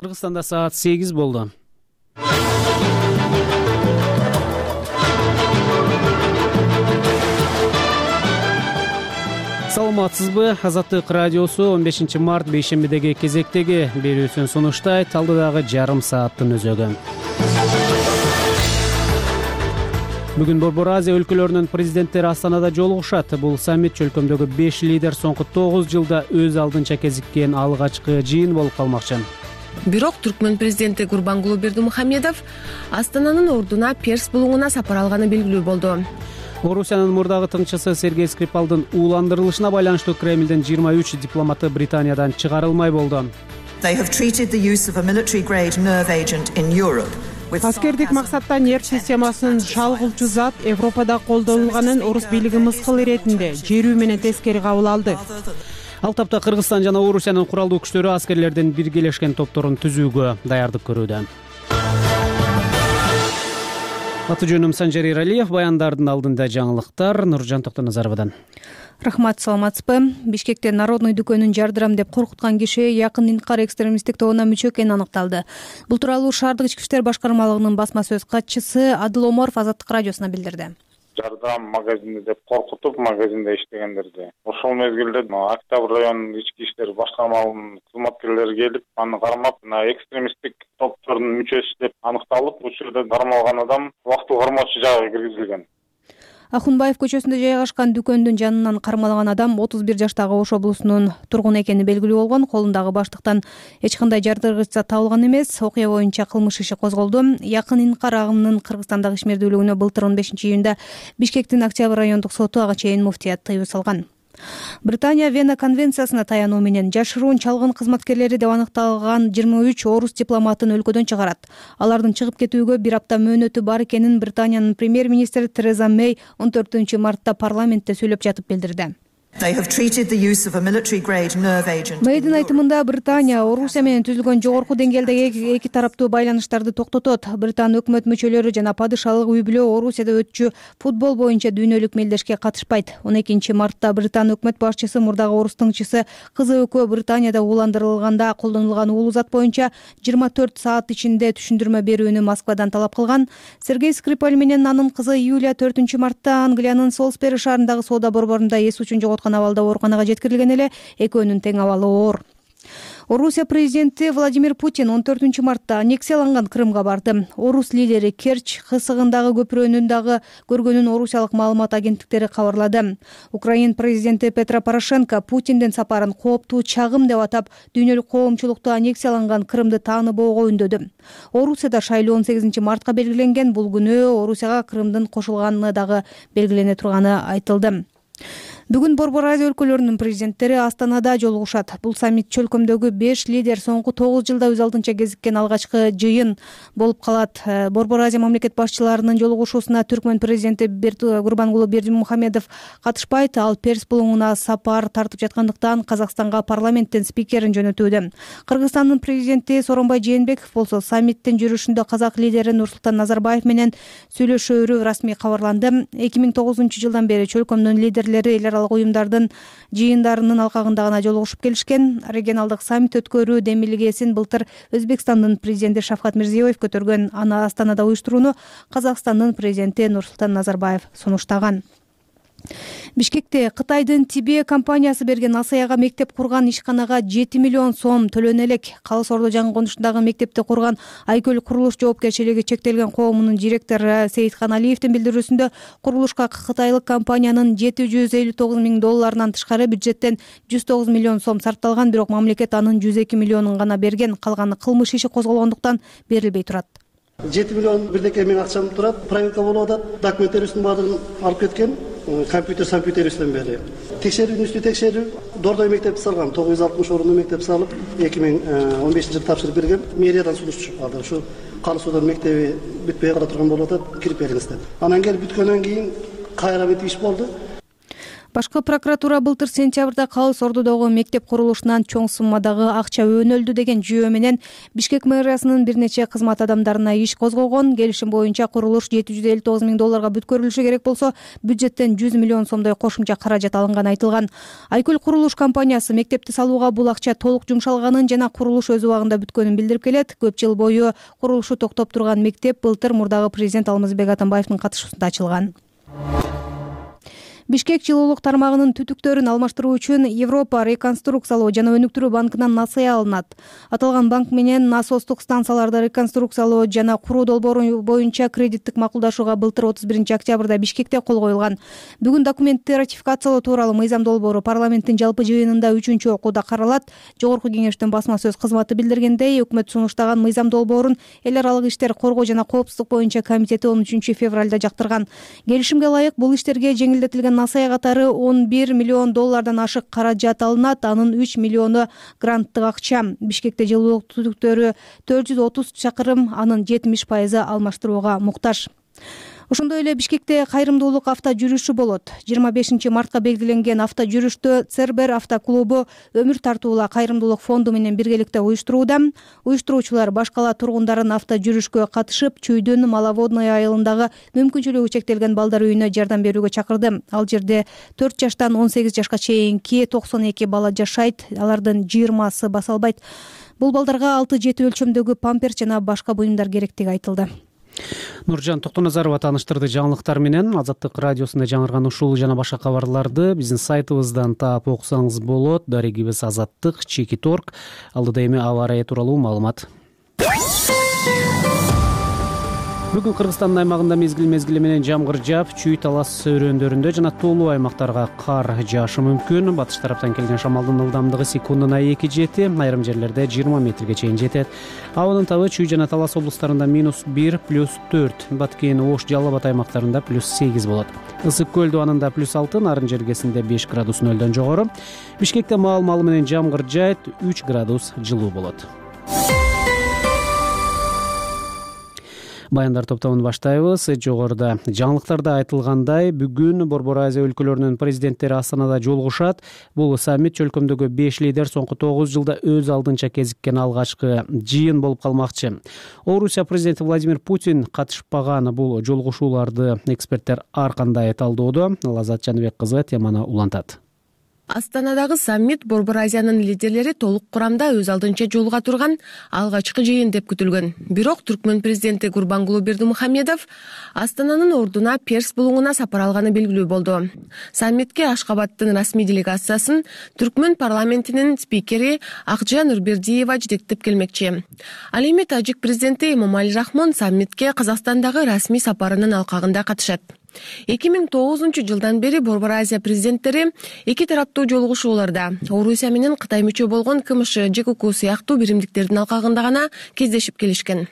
Кыргызстанда саат 8 болду. Саламатсызбы? Азаттык радиосу 15 март бейшембидеги кезектеги берүүсүн сунуштайт. Алдыдагы жарым сааттын өзөгү. Бүгүн Борбор Азия өлкөлөрүнүн президенттери Астанада жолугушат. Бул саммит чөлкөмдөгү 5 лидер соңку 9 жылда өз алдынча кезиккен алгачкы жыйын болуп калмакчы. Бирок Түркмөн президенти Гурбангулы Бердимухамедов Астананын ордуна Перс булуңуна сапар алганы белгилүү болду. Орусиянын мурдагы тыңчысы Сергей Скрипалдын ууландырылышына байланыштуу Кремлдин 23 дипломаты Британиядан чыгарылмай болду. Аскердик максатта нерв системасын шалгылчу зат Европада колдонулганын орус бийлиги мыскыл иретинде жерүү менен тескери кабыл алды. Ал тапта Кыргызстан жана Орусиянын куралдуу күчтөрү аскерлердин биргелешкен топторун түзүүгө даярдык көрүүдө. Аты жөнүм Санжар Иралиев, баяндардын алдында жаңылыктар Нуржан Токтоназаровадан. Рахмат, саламатсызбы? Бишкекте Народный дүкөнүн жардырам деп коркуткан киши Якын Инкар экстремисттик тобуна мүчө экени аныкталды. Бул тууралуу шаардык ички иштер башкармалыгынын басма сөз катчысы Адыл Оморов Азаттык радиосуна билдирди. Жардам магазинде деп коркутуп, магазинде иштегендерди. Ошол мезгилде Октябрь районунун ички иштер башкармалыгынын кызматкерлери келип, аны кармап, экстремисттик топтордун мүчөсү деп аныкталып, бул жерде кармалган адам убактылуу кармоочу жайга киргизилген. Ахунбаев көчөсүндө жайгашкан дүкөндүн жанынан кармалган адам 31 жаштагы Ош облусунун тургуну экени белгилүү болгон. Колундагы баштыктан эч кандай жардыргыч зат табылган эмес. Окуя боюнча кылмыш иши козголду. Якын Инкар агымынын Кыргызстандагы ишмердүүлүгүнө былтыр 15 июнда Бишкектин Октябрь райондук соту ага чейин муфтият тыюу салган. Британия Вена конвенциясына таянуу менен жашыруун чалгын кызматкерлери деп аныкталган 23 орус дипломатын өлкөдөн чыгарат. Алардын чыгып кетүүгө бир апта мөөнөтү бар экенин Британиянын премьер-министри Тереза Мэй 14 мартта парламентте сүйлөп жатып билдирди. Мэйдин айтымында Британия Орусия менен түзүлгөн жогорку деңгээлдеги эки тараптуу байланыштарды токтотот. Британ өкмөт мүчөлөрү жана падышалык үй-бүлө Орусияда өтчү футбол боюнча дүйнөлүк мелдешке катышпайт. 12 мартта Британ өкмөт башчысы мурдагы орус тыңчысы кызы экөө Британияда ууландырылганда колдонулган уулуу зат боюнча 24 саат ичинде түшүндүрмө берүүнү Москвадан талап кылган. Сергей Скрипаль менен анын кызы Юлия 4 мартта Англиянын Солсбери шаарындагы соода борборунда эс учун абалда ооруканага жеткирилген эле. Экөөнүн тең абалы оор. Орусия президенти Владимир Путин 14 мартта аннексияланган Крымга барды. Орус лидери Керчь кысыгындагы көпүрөнүн дагы көргөнүн орусиялык маалымат агенттиктери кабарлады. Украин президенти Петро Порошенко Путиндин сапарын кооптуу чагым деп атап, дүйнөлүк коомчулукту аннексияланган Крымды тааныбоого үндөдү. Орусияда шайлоо 18 мартка белгиленген. Бул күнү Орусияга Крымдын кошулганы дагы белгилене турганы айтылды. Бүгүн Борбор Азия өлкөлөрүнүн президенттери Астанада жолугушат. Бул саммит чөлкөмдөгү 5 лидер соңку 9 жылда өз алдынча кезиккен алгачкы жыйын болуп калат. Борбор Азия мамлекет башчыларынын жолугушуусуна Түркмөн президенти Гурбангулы Бердимухамедов катышпайт. Ал Перс булуңуна сапар тартып жаткандыктан Казакстанга парламенттин спикерин жөнөтүүдө. Кыргызстандын президенти Сооронбай Жээнбеков болсо саммиттин жүрүшүндө казак лидери Нурсултан Назарбаев менен сүйлөшөөрү расмий кабарланды. 2009 жылдан бери чөлкөмдүн лидерлери уюмдардын жыйындарынын алкагында гана жолугушуп келишкен. Регионалдык саммит өткөрүү демилгесин былтыр Өзбекстандын президенти Шавкат Мирзиёев көтөргөн. Аны Астанада уюштурууну Казакстандын президенти Нурсултан Назарбаев сунуштаган. Бишкекте Кытайдын Тибе компаниясы берген Асаяга мектеп курган ишканага 7 миллион сом төлөнө элек. Калыс Ордо жаңы конушундагы мектепти курган Айкөл курулуш жоопкерчилиги чектелген коомунун директору Сейитхан Алиевдин билдирүүсүндө курулушка кытайлык компаниянын $759,000 тышкары бюджеттен 109 миллион сом сарпталган, бирок мамлекет анын 102 миллионун гана берген. Калганы кылмыш иши козголгондуктан берилбей турат. 7 миллион бирдеке мен акчам турат, проверка болуп атат, документтерибиздин баардыгын алып кеткен, компьютерибизден бери. Текшерүүнүн үстү текшерүү, Дордой мектепти салган, 960 орунду мектеп салып, 2015 жылы тапшырып берген. Мэриядан сунуш чыгып калды. Ушу Калыс Ордо мектеби бүтпөй кала турган болуп атат, кирип бериңиз деп. Анан келип бүткөндөн кийин кайра бүт иш болду. Башкы прокуратура былтыр сентябрда Калыс Ордудогу мектеп курулушунан чоң суммадагы акча өнөлдү деген жүйө менен Бишкек мэриясынын бир нече кызмат адамдарына иш козгогон. Келишим боюнча курулуш $759 миң бүткөрүлүшү керек болсо, бюджеттен 100 миллион сомдой кошумча каражат алынганы айтылган. Айкөл курулуш компаниясы мектепти салууга бул акча толук жумшалганын жана курулуш өз убагында бүткөнүн билдирип келет. Көп жыл бою курулушу токтоп турган мектеп былтыр мурдагы президент Алмазбек Атамбаевдин катышуусунда ачылган. Бишкек жылуулук тармагынын түтүктөрүн алмаштыруу үчүн Европа реконструкциялоо жана өнүктүрүү банкынан насыя алынат. Аталган банк менен насостук станцияларды реконструкциялоо жана куруу долбоору боюнча кредиттик макулдашууга былтыр 31 октябрда Бишкекте кол коюлган. Бүгүн документти ратификациялоо тууралуу мыйзам долбоору парламенттин жалпы жыйынында 3-чү окууда каралат. Жогорку кеңештин басма сөз кызматы билдиргендей, өкмөт сунуштаган мыйзам долбоорун эл аралык иштер коргоо жана коопсуздук боюнча комитети 13 февралда жактырган. Келишимге ылайык бул иштерге жеңилдетилген насыя катары $11 миллион ашык каражат алынат. Анын 3 миллиону гранттык акча. Бишкекте жылуулук түтүктөрү 430 чакырым, анын 70% алмаштырууга муктаж. Ошондой эле Бишкекте кайрымдуулук авто жүрүшү болот. 25 мартка белгиленген авто жүрүштү Цербер автоклубу Өмүр тартуула кайрымдуулук фонду менен биргеликте уюштурууда. Уюштуруучулар баш кала тургундарын авто жүрүшкө катышып, Чүйдүн Маловодный айылындагы мүмкүнчүлүгү чектелген балдар үйүнө жардам берүүгө чакырды. Ал жерде 4 жаштан 18 жашка чейинки 92 бала жашайт. Алардын 20сы баса албайт. Бул балдарга 6-7 өлчөмдөгү памперс жана башка буюмдар керектиги айтылды. Нуржан Токтоназарова тааныштырды жаңылыктар менен. Азаттык радиосунда жаңырган ушул жана башка кабарларды биздин сайтыбыздан таап окусаңыз болот. Дарегибиз Азаттык /Org. Алдыда эми аба ырайы тууралуу маалымат. Бүгүн Кыргызстандын аймагында мезгил менен жамгыр жаап, Чүй талас өрөөндөрүндө жана тоолуу аймактарга кар жаашы мүмкүн. Батыш тараптан келген шамалдын ылдамдыгы секундуна 2-7, айрым жерлерде 20 метрге чейин жетет. Абанын табы Чүй жана Талас облустарында -1, +4, Баткен, Ош, Жалал Абад аймактарында +8 болот. Ысык көл дубанында +6, Нарын жергесинде 5 градус нөлдөн жогору. Бишкекте маал-маалы менен жамгыр жаайт, 3 градус жылуу болот. Баяндар топтомун баштайбыз. Жогоруда жаңылыктарда айтылгандай, бүгүн Борбор Азия өлкөлөрүнүн президенттери Астанада жолугушат. Бул саммит чөлкөмдөгү 5 лидер соңку 9 жылда өз алдынча кезиккен алгачкы жыйын болуп калмакчы. Орусия президенти Владимир Путин катышпаган бул жолугушууларды эксперттер ар кандай талдоодо. Лаззат Жаныбек кызы теманы улантат. Астанадагы саммит Борбор Азиянын лидерлери толук курамда өз алдынча жолуга турган алгачкы жыйын деп күтүлгөн. Бирок Түркмөн президенти Гурбангулы Бердимухамедов Астананын ордуна Перс булуңуна сапар алганы белгилүү болду. Саммитке Ашкабадтын расмий делегациясын Түркмөн парламентинин спикери Акжа Нурбердиева жетектеп келмекчи. Ал эми Тажик президенти Эмомали Рахмон саммитке Казакстандагы расмий сапарынын алкагында катышат. 2009 жылдан бери Борбор Азия президенттери эки тараптуу жолугушууларда Орусия менен Кытай мүчө болгон КМШ, ЖКК сыяктуу биримдиктердин алкагында гана кездешип келишкен.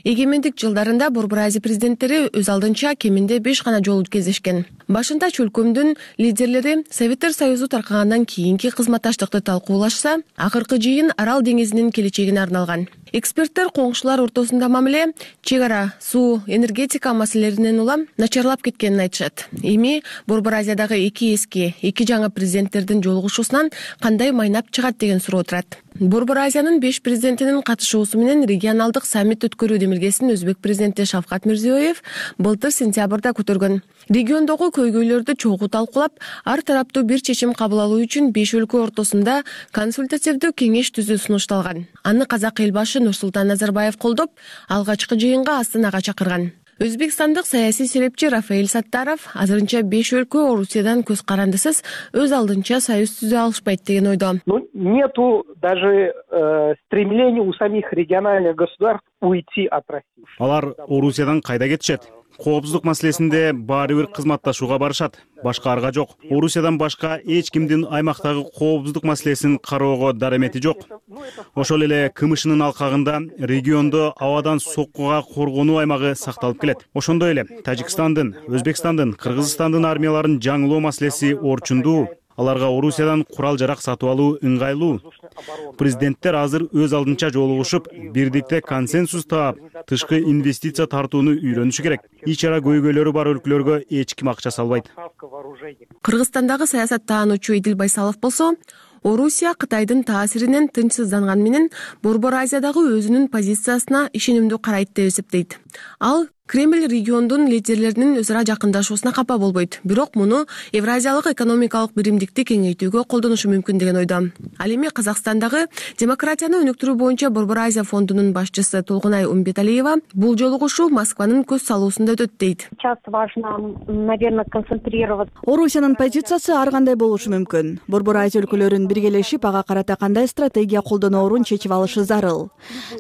Эгемендик жылдарында Борбор Азия президенттери өз алдынча кеминде 5 гана жолу кездешкен. Башында чөлкөмдүн лидерлери Советтер Союзу таркагандан кийинки кызматташтыкты талкуулашса, акыркы жыйын Арал деңизинин келечегине арналган. Эксперттер коңшулар ортосунда мамиле, чек ара, суу, энергетика маселелеринен улам начарлап кеткенин айтышат. Эми Борбор Азиядагы эки жаңы президенттердин жолугушуусунан кандай майнап чыгат деген суроо турат. Борбор Азиянын 5 президентинин катышуусу менен регионалдык саммит өткөрүү демилгесин өзбек президенти Шавкат Мирзиёев былтыр сентябрда көтөргөн. Региондогу көйгөйлөрдү чогуу талкуулап, ар тараптуу бир чечим кабыл алуу үчүн 5 өлкө ортосунда консультативдүү кеңеш түзүү сунушталган. Аны казак эл башы Нурсултан Назарбаев колдоп, алгачкы жыйынга Астанага чакырган. Өзбекстандык саясий серепчи Рафаэль Саттаров азырынча 5 өлкө Орусиядан көз карандысыз өз алдынча союз түзө алышпайт деген ойдо. Нету даже стремления у самих региональных государств уйти от России. Алар Орусиядан кайда кетишет? Коопсуздук маселесинде баары бир кызматташууга барышат. Башка арга жок. Орусиядан башка эч кимдин аймактагы коопсуздук маселесин кароого даремети жок. Ошол эле КМШнын алкагында региондо абадан соккуга коргонуу аймагы сакталып келет. Ошондой эле Тажикстандын, Өзбекстандын, Кыргызстандын армияларын жаңылоо маселеси орчундуу. аларга Орусиядан курал жарак сатып алуу ыңгайлуу. Президенттер азыр өз алдынча жолугушуп, бирдикте консенсус таап, тышкы инвестиция тартууну үйрөнүшү керек. Ич ара көйгөйлөрү бар өлкөлөргө эч ким акча салбайт. Кыргызстандагы саясат таануучу Идил Байсалов болсо, Орусия Кытайдын таасиринен тынчсызданган менен Борбор Азиядагы өзүнүн позициясына ишенимдүү карайт деп эсептейт. Ал Кремль региондун лидерлеринин өз ара жакындашуусуна капа болбойт, бирок муну Евразиялык экономикалык биримдикти кеңейтүүгө колдонушу мүмкүн деген ойдо. Ал эми Казакстандагы демократияны өнүктүрүү боюнча Борбор Азия фондунун башчысы Толкунай Умбеталиева бул жолугушуу Москванын көз салуусунда өтөт дейт. Сейчас важно, наверное, концентрироваться. Орусиянын позициясы ар кандай болушу мүмкүн. Борбор Азия өлкөлөрүн биргелешип, ага карата кандай стратегия колдоноорун чечип алышы зарыл.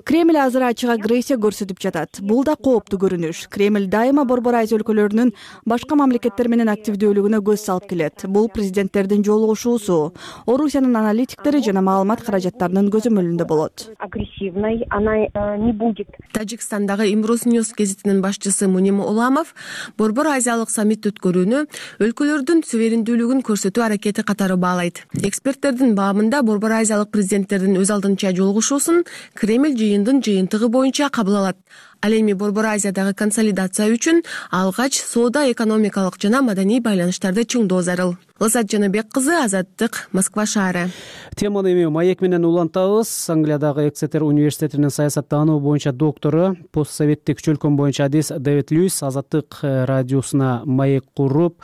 Кремль азыр ачык агрессия көрсөтүп жатат. Бул да кооптуу көрүнүш. Кремль дайыма Борбор Азия өлкөлөрүнүн башка мамлекеттер менен активдүүлүгүнө көз салып келет. Бул президенттердин жолугушуусу Орусиянын аналитиктери жана маалымат каражаттарынын көзөмөлүндө болот. Агрессивной она не будет. Тажикстандагы Имрус Ньюс гезитинин башчысы Муним Уламов Борбор Азиялык саммит өткөрүүнү өлкөлөрдүн суверендүүлүгүн көрсөтүү аракети катары баалайт. Эксперттердин баамында Борбор Азиялык президенттердин өз алдынча жолугушуусун Кремль жыйындын жыйынтыгы боюнча кабыл алат. Ал эми Борбор Азиядагы консолидация үчүн алгач соода, экономикалык жана маданий байланыштарды чыңдоо зарыл. Лазат Жаныбек кызы, Азаттык, Москва шаары. Теманы эми маек менен улантабыз. Англиядагы Эксетер университетинин саясаттануу боюнча доктору, постсоветтик чөлкөм боюнча адис Дэвид Льюис Азаттык радиосуна маек куруп,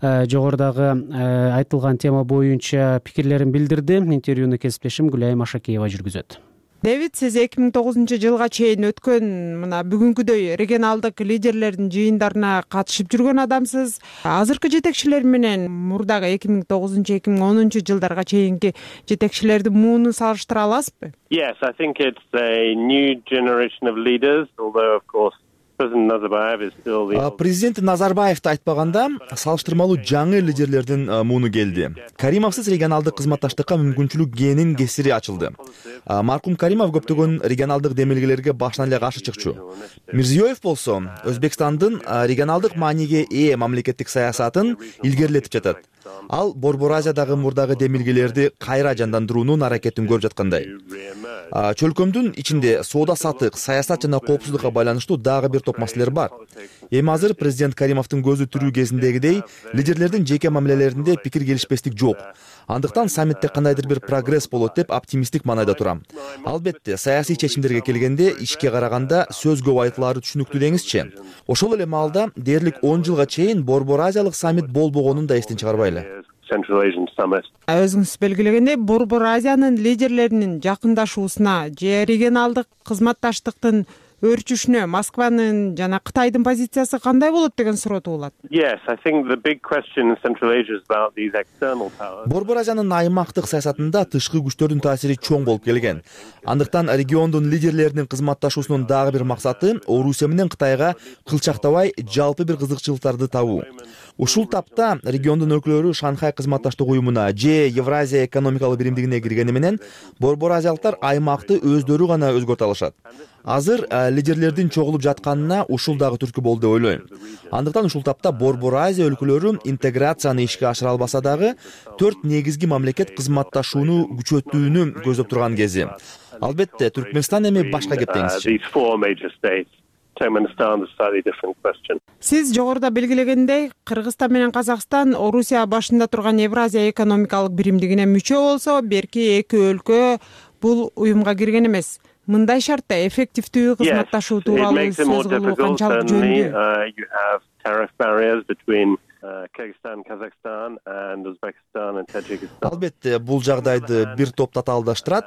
жогорудагы айтылган тема боюнча пикирлерин билдирди. Интервьюну кесиптешим Гүлайым Ашакеева жүргүзөт. Дэвид, сиз 2009 жылга чейин өткөн мына бүгүнкүдөй регионалдык лидерлердин жыйындарына катышып жүргөн адамсыз. Азыркы жетекчилер менен мурдагы 2009-2010 жылдарга чейинки жетекчилердин муунун салыштыра аласызбы? Yes, I think it's a new generation of leaders, although of course Президент Назарбаевди айтпаганда салыштырмалуу жаңы лидерлердин мууну келди. Каримовсуз регионалдык кызматташтыкка мүмкүнчүлүк кээнин кесири ачылды. Маркум Каримов көптөгөн регионалдык демилгелерге башынан эле каршы чыкчу. Мирзиёев болсо Өзбекстандын регионалдык мааниге ээ мамлекеттик саясатын илгерилетип жатат. Ал Борбор Азиядагы мурдагы демилгелерди кайра жандандыруунун аракетин көрүп жаткандай. Чөлкөмдүн ичинде соода сатык, саясат жана коопсуздукка байланыштуу дагы бир топ маселелер бар. Эми азыр президент Каримовдун көзү тирүү кезиндегидей лидерлердин жеке мамилелеринде пикир келишпестик жок. Андыктан саммитте кандайдыр бир прогресс болот деп оптимисттик маанайда турам. Албетте, саясий чечимдерге келгенде ишке караганда сөз көп айтылаары түшүнүктүү деңизчи. Ошол эле маалда дээрлик 10 жылга чейин Борбор Азиялык саммит болбогонун да эстен чыгарбайлы. Өзүңүз белгилегендей, Борбор Азиянын лидерлеринин жакындашуусуна же регионалдык кызматташтыктын өрчүшүнө Москванын жана Кытайдын позициясы кандай болот деген суроо туулат. Борбор Азиянын аймактык саясатында тышкы күчтөрдүн таасири чоң болуп келген. Андыктан региондун лидерлеринин кызматташуусунун дагы бир максаты Орусия менен Кытайга кылчактабай жалпы бир кызыкчылыктарды табуу. Ушул тапта региондун өлкөлөрү Шанхай кызматташтык уюмуна же Евразия экономикалык биримдигине киргени менен Борбор Азиялыктар аймакты өздөрү гана өзгөртө алышат. Азыр лидерлердин чогулуп жатканына ушул дагы түрткү болду деп ойлойм. Андыктан ушул тапта Борбор Азия өлкөлөрү интеграцияны ишке ашыра албаса дагы 4 негизги мамлекет кызматташууну күчөтүүнү көздөп турган кези. Албетте, Түркмөнстан эми башка кеп деңизчи. Сиз жогоруда белгилегендей, Кыргызстан менен Казакстан Орусия башында турган Евразия экономикалык биримдигине мүчө болсо, берки эки өлкө бул уюмга кирген эмес. Мындай шартта эффективдүү кызматташуу тууралуу сөз кылуу канчалык жөнүндүү? Албетте, бул жагдайды бир топ татаалдаштырат,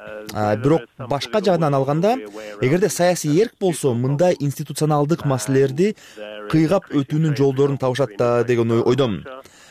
бирок башка жагынан алганда, эгерде саясий эрк болсо, мындай институционалдык маселелерди кыйгап өтүүнүн жолдорун табышат да деген ойдомун.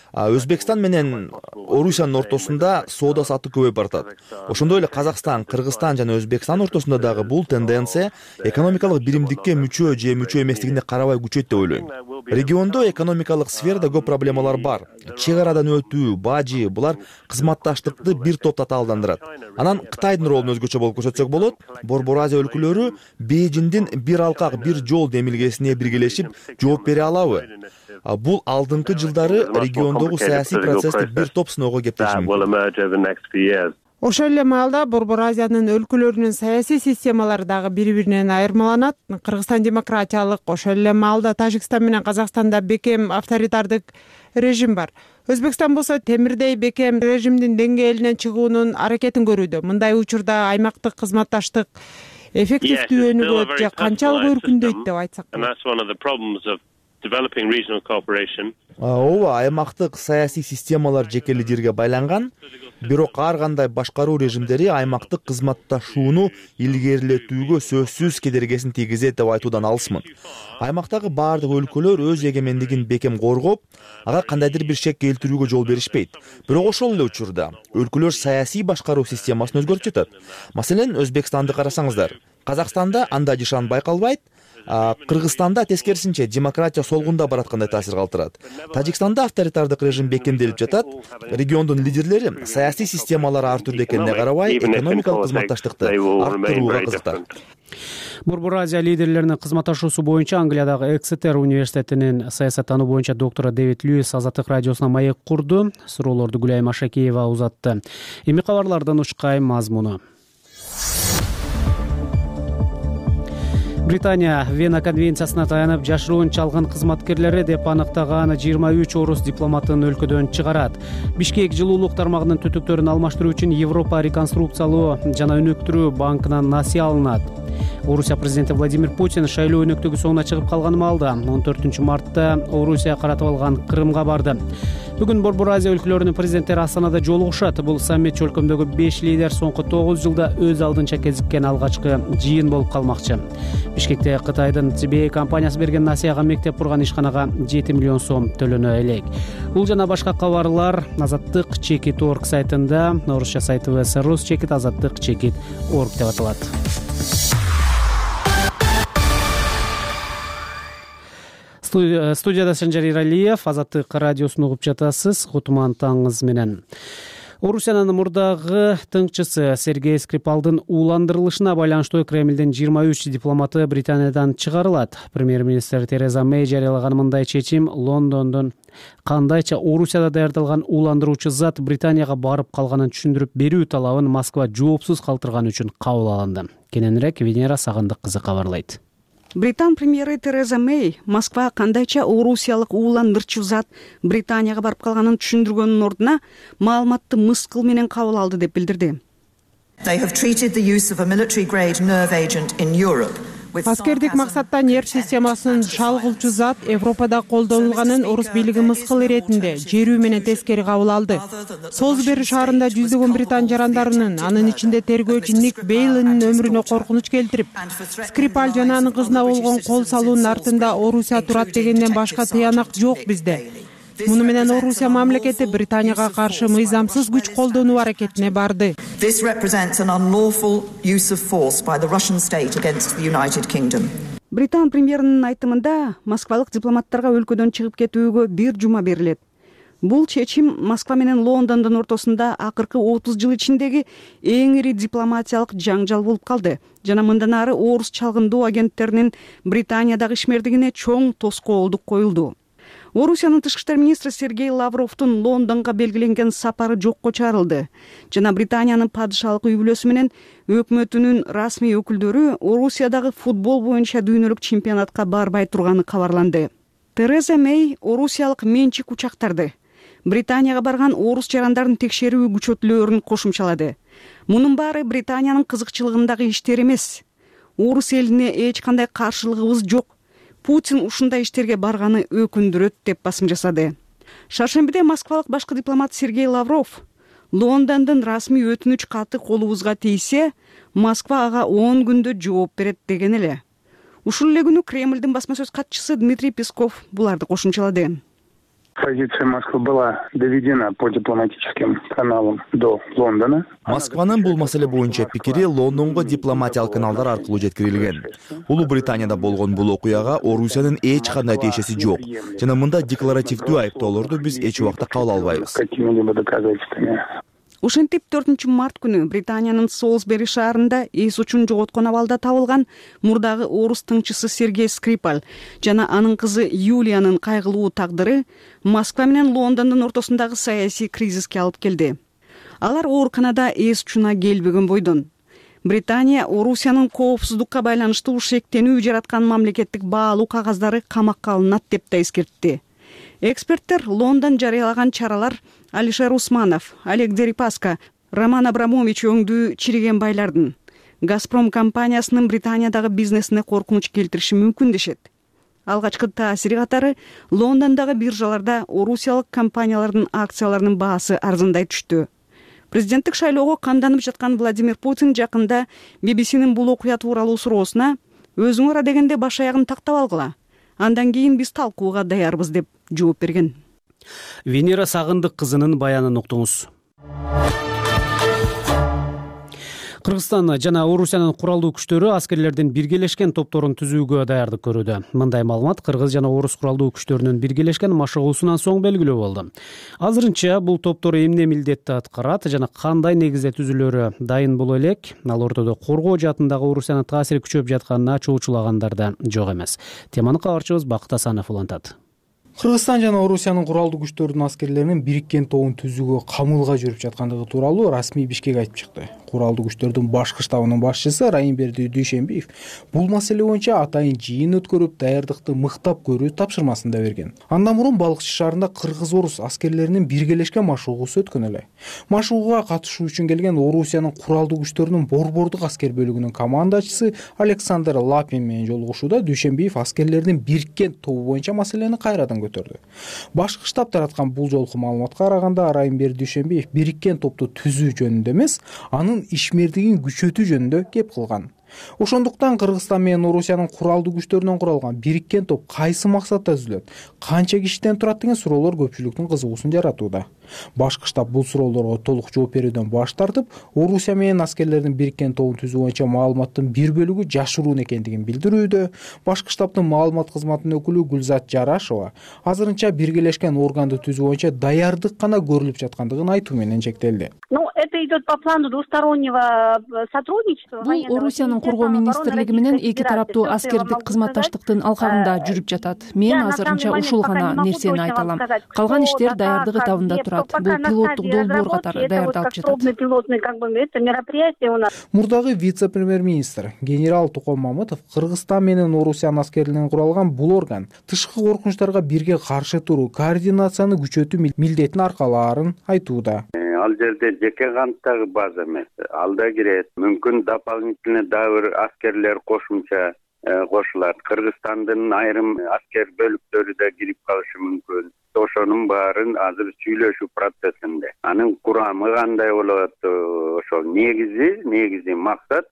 Өзбекстан менен Орусиянын ортосунда соода сатык көбөйүп баратат. Ошондой эле Казакстан, Кыргызстан жана Өзбекстан ортосунда дагы бул тенденция экономикалык биримдикке мүчө же мүчө эместигине карабай күчөйт деп ойлойм. Региондо экономикалык сферада көп проблемалар бар. Чек арадан өтүү, бажы, булар кызматташтыкты бир топ татаалдандырат. Анан Кытайдын ролун өзгөчө болуп көрсөтсөк болот. Борбор Азия өлкөлөрү Бейжиңдин бир алкак, бир жол демилгесине биргелешип жооп бере алабы? Бул алдыңкы жылдары региондо жаһандагы саясий процессти бир топ сыноого кептеши мүмкүн. Ошол эле маалда Борбор Азиянын өлкөлөрүнүн саясий системалары дагы бири биринен айырмаланат. Кыргызстан демократиялык, ошол эле маалда Тажикстан менен Казакстанда бекем авторитардык режим бар. Өзбекстан болсо темирдей бекем режимдин деңгээлинен чыгуунун аракетин көрүүдө. Мындай учурда аймактык кызматташтык эффективдүүнүгөт же канчалык өркүндөйт деп айтсак болот? Ооба, аймактык саясий системалар жекелей жерге байланган, бирок ар кандай башкаруу режимдери аймактык кызматташууну илгерилетүүгө сөзсүз кедергисин тийгизет деп айтуудан алысмын. Аймактагы баардык өлкөлөр өз эгемендигин бекем коргоп, ага кандайдыр бир шек келтирүүгө жол беришпейт. Бирок ошол эле учурда өлкөлөр саясий башкаруу системасын өзгөртүп жатат. Маселен, Өзбекстанды карасаңыздар, Казакстанда андай жышан байкалбайт, Кыргызстанда тескерисинче демократия солгунда бараткандай таасир калтырат. Тажикстанда авторитардык режим бекемделип жатат. Региондун лидерлери саясий системалары ар түрдүү экенине карабай, экономикалык кызматташтыкты арттырууга кызыктар. Борбор Азия лидерлеринин кызматташуусу боюнча Англиядагы Эксетер университетинин саясаттануу боюнча доктору Дэвид Льюис Азаттык радиосуна маек курду. Суроолорду Гүлайым Ашакеева узатты. Эми кабарлардын учкай мазмуну. Британия Вена конвенциясына таянып жашыруун чалган кызматкерлери деп аныктаган 23 орус дипломатын өлкөдөн чыгарат. Бишкек жылуулук тармагынын түтүктөрүн алмаштыруу үчүн Европа реконструкциялоо жана өнүктүрүү банкынан насыя алынат. Орусия президенти Владимир Путин шайлоо өнөктүгү соңуна чыгып калган маалда 14 мартта Орусия каратып алган Крымга барды. Бүгүн Борбор Азия өлкөлөрүнүн президенттери Астанада жолугушат. Бул саммит өлкөмдөгү 5 лидер соңку 9 жылда өз алдынча кезиккен алгачкы жыйын болуп калмакчы. Бишкекте Кытайдын Цб компаниясы берген насыяга мектеп курган ишканага 7 миллион сом төлөнө элек. Бул жана башка кабарлар Азаттык Чекит.орг сайтында, орусча сайтыбыз Русчекит Азаттык Чекит.орg деп аталат. Студияда Санжар Иралиев, Азаттык радиосун угуп жатасыз. Кутман таңыңыз менен. Орусиянын мурдагы тыңчысы Сергей Скрипалдын ууландырылышына байланыштуу Кремлдин 23 дипломаты Британиядан чыгарылат. Премьер-министр Тереза Мэй жарыялаган мындай чечим Лондондун кандайча Орусияда даярдалган ууландыруучу зат Британияга барып калганын түшүндүрүп берүү талабын Москва жоопсуз калтырган үчүн кабыл алынды. Кененирээк Венера Сагындык кызы кабарлайт. Британ премьери Тереза Мэй Москва кандайча орусиялык ууландырчу зат Британияга барып калганын түшүндүргөндүн ордуна маалыматты мыскыл менен кабыл алды деп билдирди. Аскердик максатта нерв системасын шалгылчу зат Европада колдонулганын орус бийлиги мыскыл иретинде жерүү менен тескери кабыл алды. Солсбери шаарында жүздөгөн британ жарандарынын, анын ичинде тергөөчү Ник Бейлинин өмүрүнө коркунуч келтирип, Скрипаль жана анын кызына болгон кол салуунун артында Орусия турат дегенден башка тыянак жок бизде. Муну менен Орусия мамлекети Британияга каршы мыйзамсыз күч колдонуу аракетине барды. Британ премьеринин айтымында москвалык дипломаттарга өлкөдөн чыгып кетүүгө 1 жума берилет. Бул чечим Москва менен Лондондун ортосунда акыркы 30 жыл ичиндеги эң ири дипломатиялык жаңжал болуп калды жана мындан ары орус чалгындоо агенттеринин Британиядагы ишмердигине чоң тоскоолдук коюлду. Орусиянын тышкы иштер министри Сергей Лавровдун Лондонго белгиленген сапары жокко чыгарылды жана Британиянын падышалык үй бүлөсү менен өкмөтүнүн расмий өкүлдөрү Орусиядагы футбол боюнча дүйнөлүк чемпионатка барбай турганы кабарланды. Тереза Мэй орусиялык менчик учактарды Британияга барган орус жарандарын текшерүү күчөтүлөөрүн кошумчалады. Мунун баары Британиянын кызыкчылыгындагы иштер эмес. Орус элине эч кандай каршылыгыбыз жок. Путин ушундай иштерге барганы өкүндүрөт деп басым жасады. Шаршембиде москвалык башкы дипломат Сергей Лавров Лондондун расмий өтүнүч каты колубузга тийсе, Москва ага 10 күндө жооп берет деген эле. Ушул эле күнү Кремлдин басма сөз катчысы Дмитрий Песков буларды кошумчалады. Позиция Москвы была доведена по дипломатическим каналам до Лондона. Москванын бул маселе боюнча пикири Лондонго дипломатиялык каналдар аркылуу жеткирилген. Улуу Британияда болгон бул окуяга Орусиянын эч кандай тиешеси жок. Жана мында декларативдүү айыптоолорду биз эч убакта кабыл албайбыз. Ошентип 4-март күнү Британиянын Солсбери шаарында эс учун жоготкон абалда табылган мурдагы орус тыңчысы Сергей Скрипаль жана анын кызы Юлиянын кайгылуу тагдыры Москва менен Лондондун ортосундагы саясий кризиске алып келди. Алар ооруканада эс учуна келбеген бойдон. Британия Орусиянын коопсуздукка байланыштуу шектенүү жараткан мамлекеттик баалуу кагаздары камакка алынат деп да эскертти. Эксперттер Лондон жарыялаган чаралар Алишер Усманов, Олег Дерипаска, Роман Абрамович өңдүү чириген байлардын Газпром компаниясынын Британиядагы бизнесине коркунуч келтириши мүмкүн дешет. Алгачкы таасири катары Лондондогу биржаларда орусиялык компаниялардын акцияларынын баасы арзандай түштү. Президенттик шайлоого камданып жаткан Владимир Путин жакында BBC'нин бул окуя тууралуу суроосуна өзүңөр адегенде баш аягын тактап алгыла. Андан кийин биз талкууга даярбыз деп жооп берген. Венера Сагындык кызынын баянын уктуңуз. Кыргызстан жана Орусиянын куралдуу күчтөрү аскерлердин биргелешкен топторун түзүүгө даярдык көрүүдө. Мындай маалымат кыргыз жана орус куралдуу күчтөрүнүн биргелешкен машыгуусунан соң белгилүү болду. Азырынча бул топтор эмне милдетти аткарат жана кандай негизде түзүлөрү дайын боло элек, ал ортодо коргоо жаатындагы Орусиянын таасири күчөп жатканына чоочулагандар да жок эмес. Теманы кабарчыбыз Бакыт Асанов улантат. Кыргызстан жана Орусиянын куралдуу күчтөрүнүн аскерлеринин бириккен тобун түзүүгө камылга жүрүп жаткандыгы тууралуу расмий Бишкек айтып чыкты. Куралдуу күчтөрдүн башкы штабынын башчысы Райымберди Дүйшенбиев бул маселе боюнча атайын жыйын өткөрүп, даярдыкты мыктап көрүү тапшырмасын да берген. Андан мурун Балыкчы шаарында кыргыз-орус аскерлеринин биргелешкен машыгуусу өткөн эле. Машыгууга катышуу үчүн келген Орусиянын куралдуу күчтөрүнүн борбордук аскер бөлүгүнүн командачысы Александр Лапин менен жолугушууда Дүйшенбиев аскерлердин бириккен тобу боюнча маселени кайрадан көтөрдү. Башкы штаб тараткан бул жолку маалыматка караганда Райымберди Дүйшенбиев бириккен топту түзүү жөнүндө эмес, анын ишмердигин күчөтүү жөнүндө кеп кылган. Ошондуктан Кыргызстан менен Орусиянын куралдуу күчтөрүнөн куралган бириккен топ кайсы максатта түзүлөт, канча кишиден турат деген суроолор көпчүлүктүн кызыгуусун жаратууда. Башкы штаб бул суроолорго толук жооп берүүдөн баш тартып, Орусия менен аскерлердин бириккен тобун түзүү боюнча маалыматтын бир бөлүгү жашыруун экендигин билдирүүдө. Башкы штабтын маалымат кызматынын өкүлү Гүлзат Жарашова азырынча биргелешкен органды түзүү боюнча даярдык гана көрүлүп жаткандыгын айтуу менен чектелди. Это идет по плану двустороннего сотрудничества. Бул Орусиянын коргоо министрлиги менен эки тараптуу аскердик кызматташтыктын алкагында жүрүп жатат. Мен азырынча ушул гана нерсени айта алам. Калган иштер даярдык этабында турат. Бул пилоттук долбоор катары даярдалып жатат. Мурдагы вице-премьер-министр генерал Туком Мамытов Кыргызстан менен Орусиянын аскерлеринен куралган бул орган тышкы коркунучтарга бирге каршы туруу, координацияны күчөтүү милдетин аркалаарын айтууда. Ал жерде жеке канттагы база эмес, алда кирет. Мүмкүн дополнительный дагы бир аскерлер кошумча кошулат. Кыргызстандын айрым аскер бөлүктөрү да кирип калышы мүмкүн. Ошонун баарын азыр сүйлөшүү процессинде. Анын курамы кандай болот? Ошол негизи максат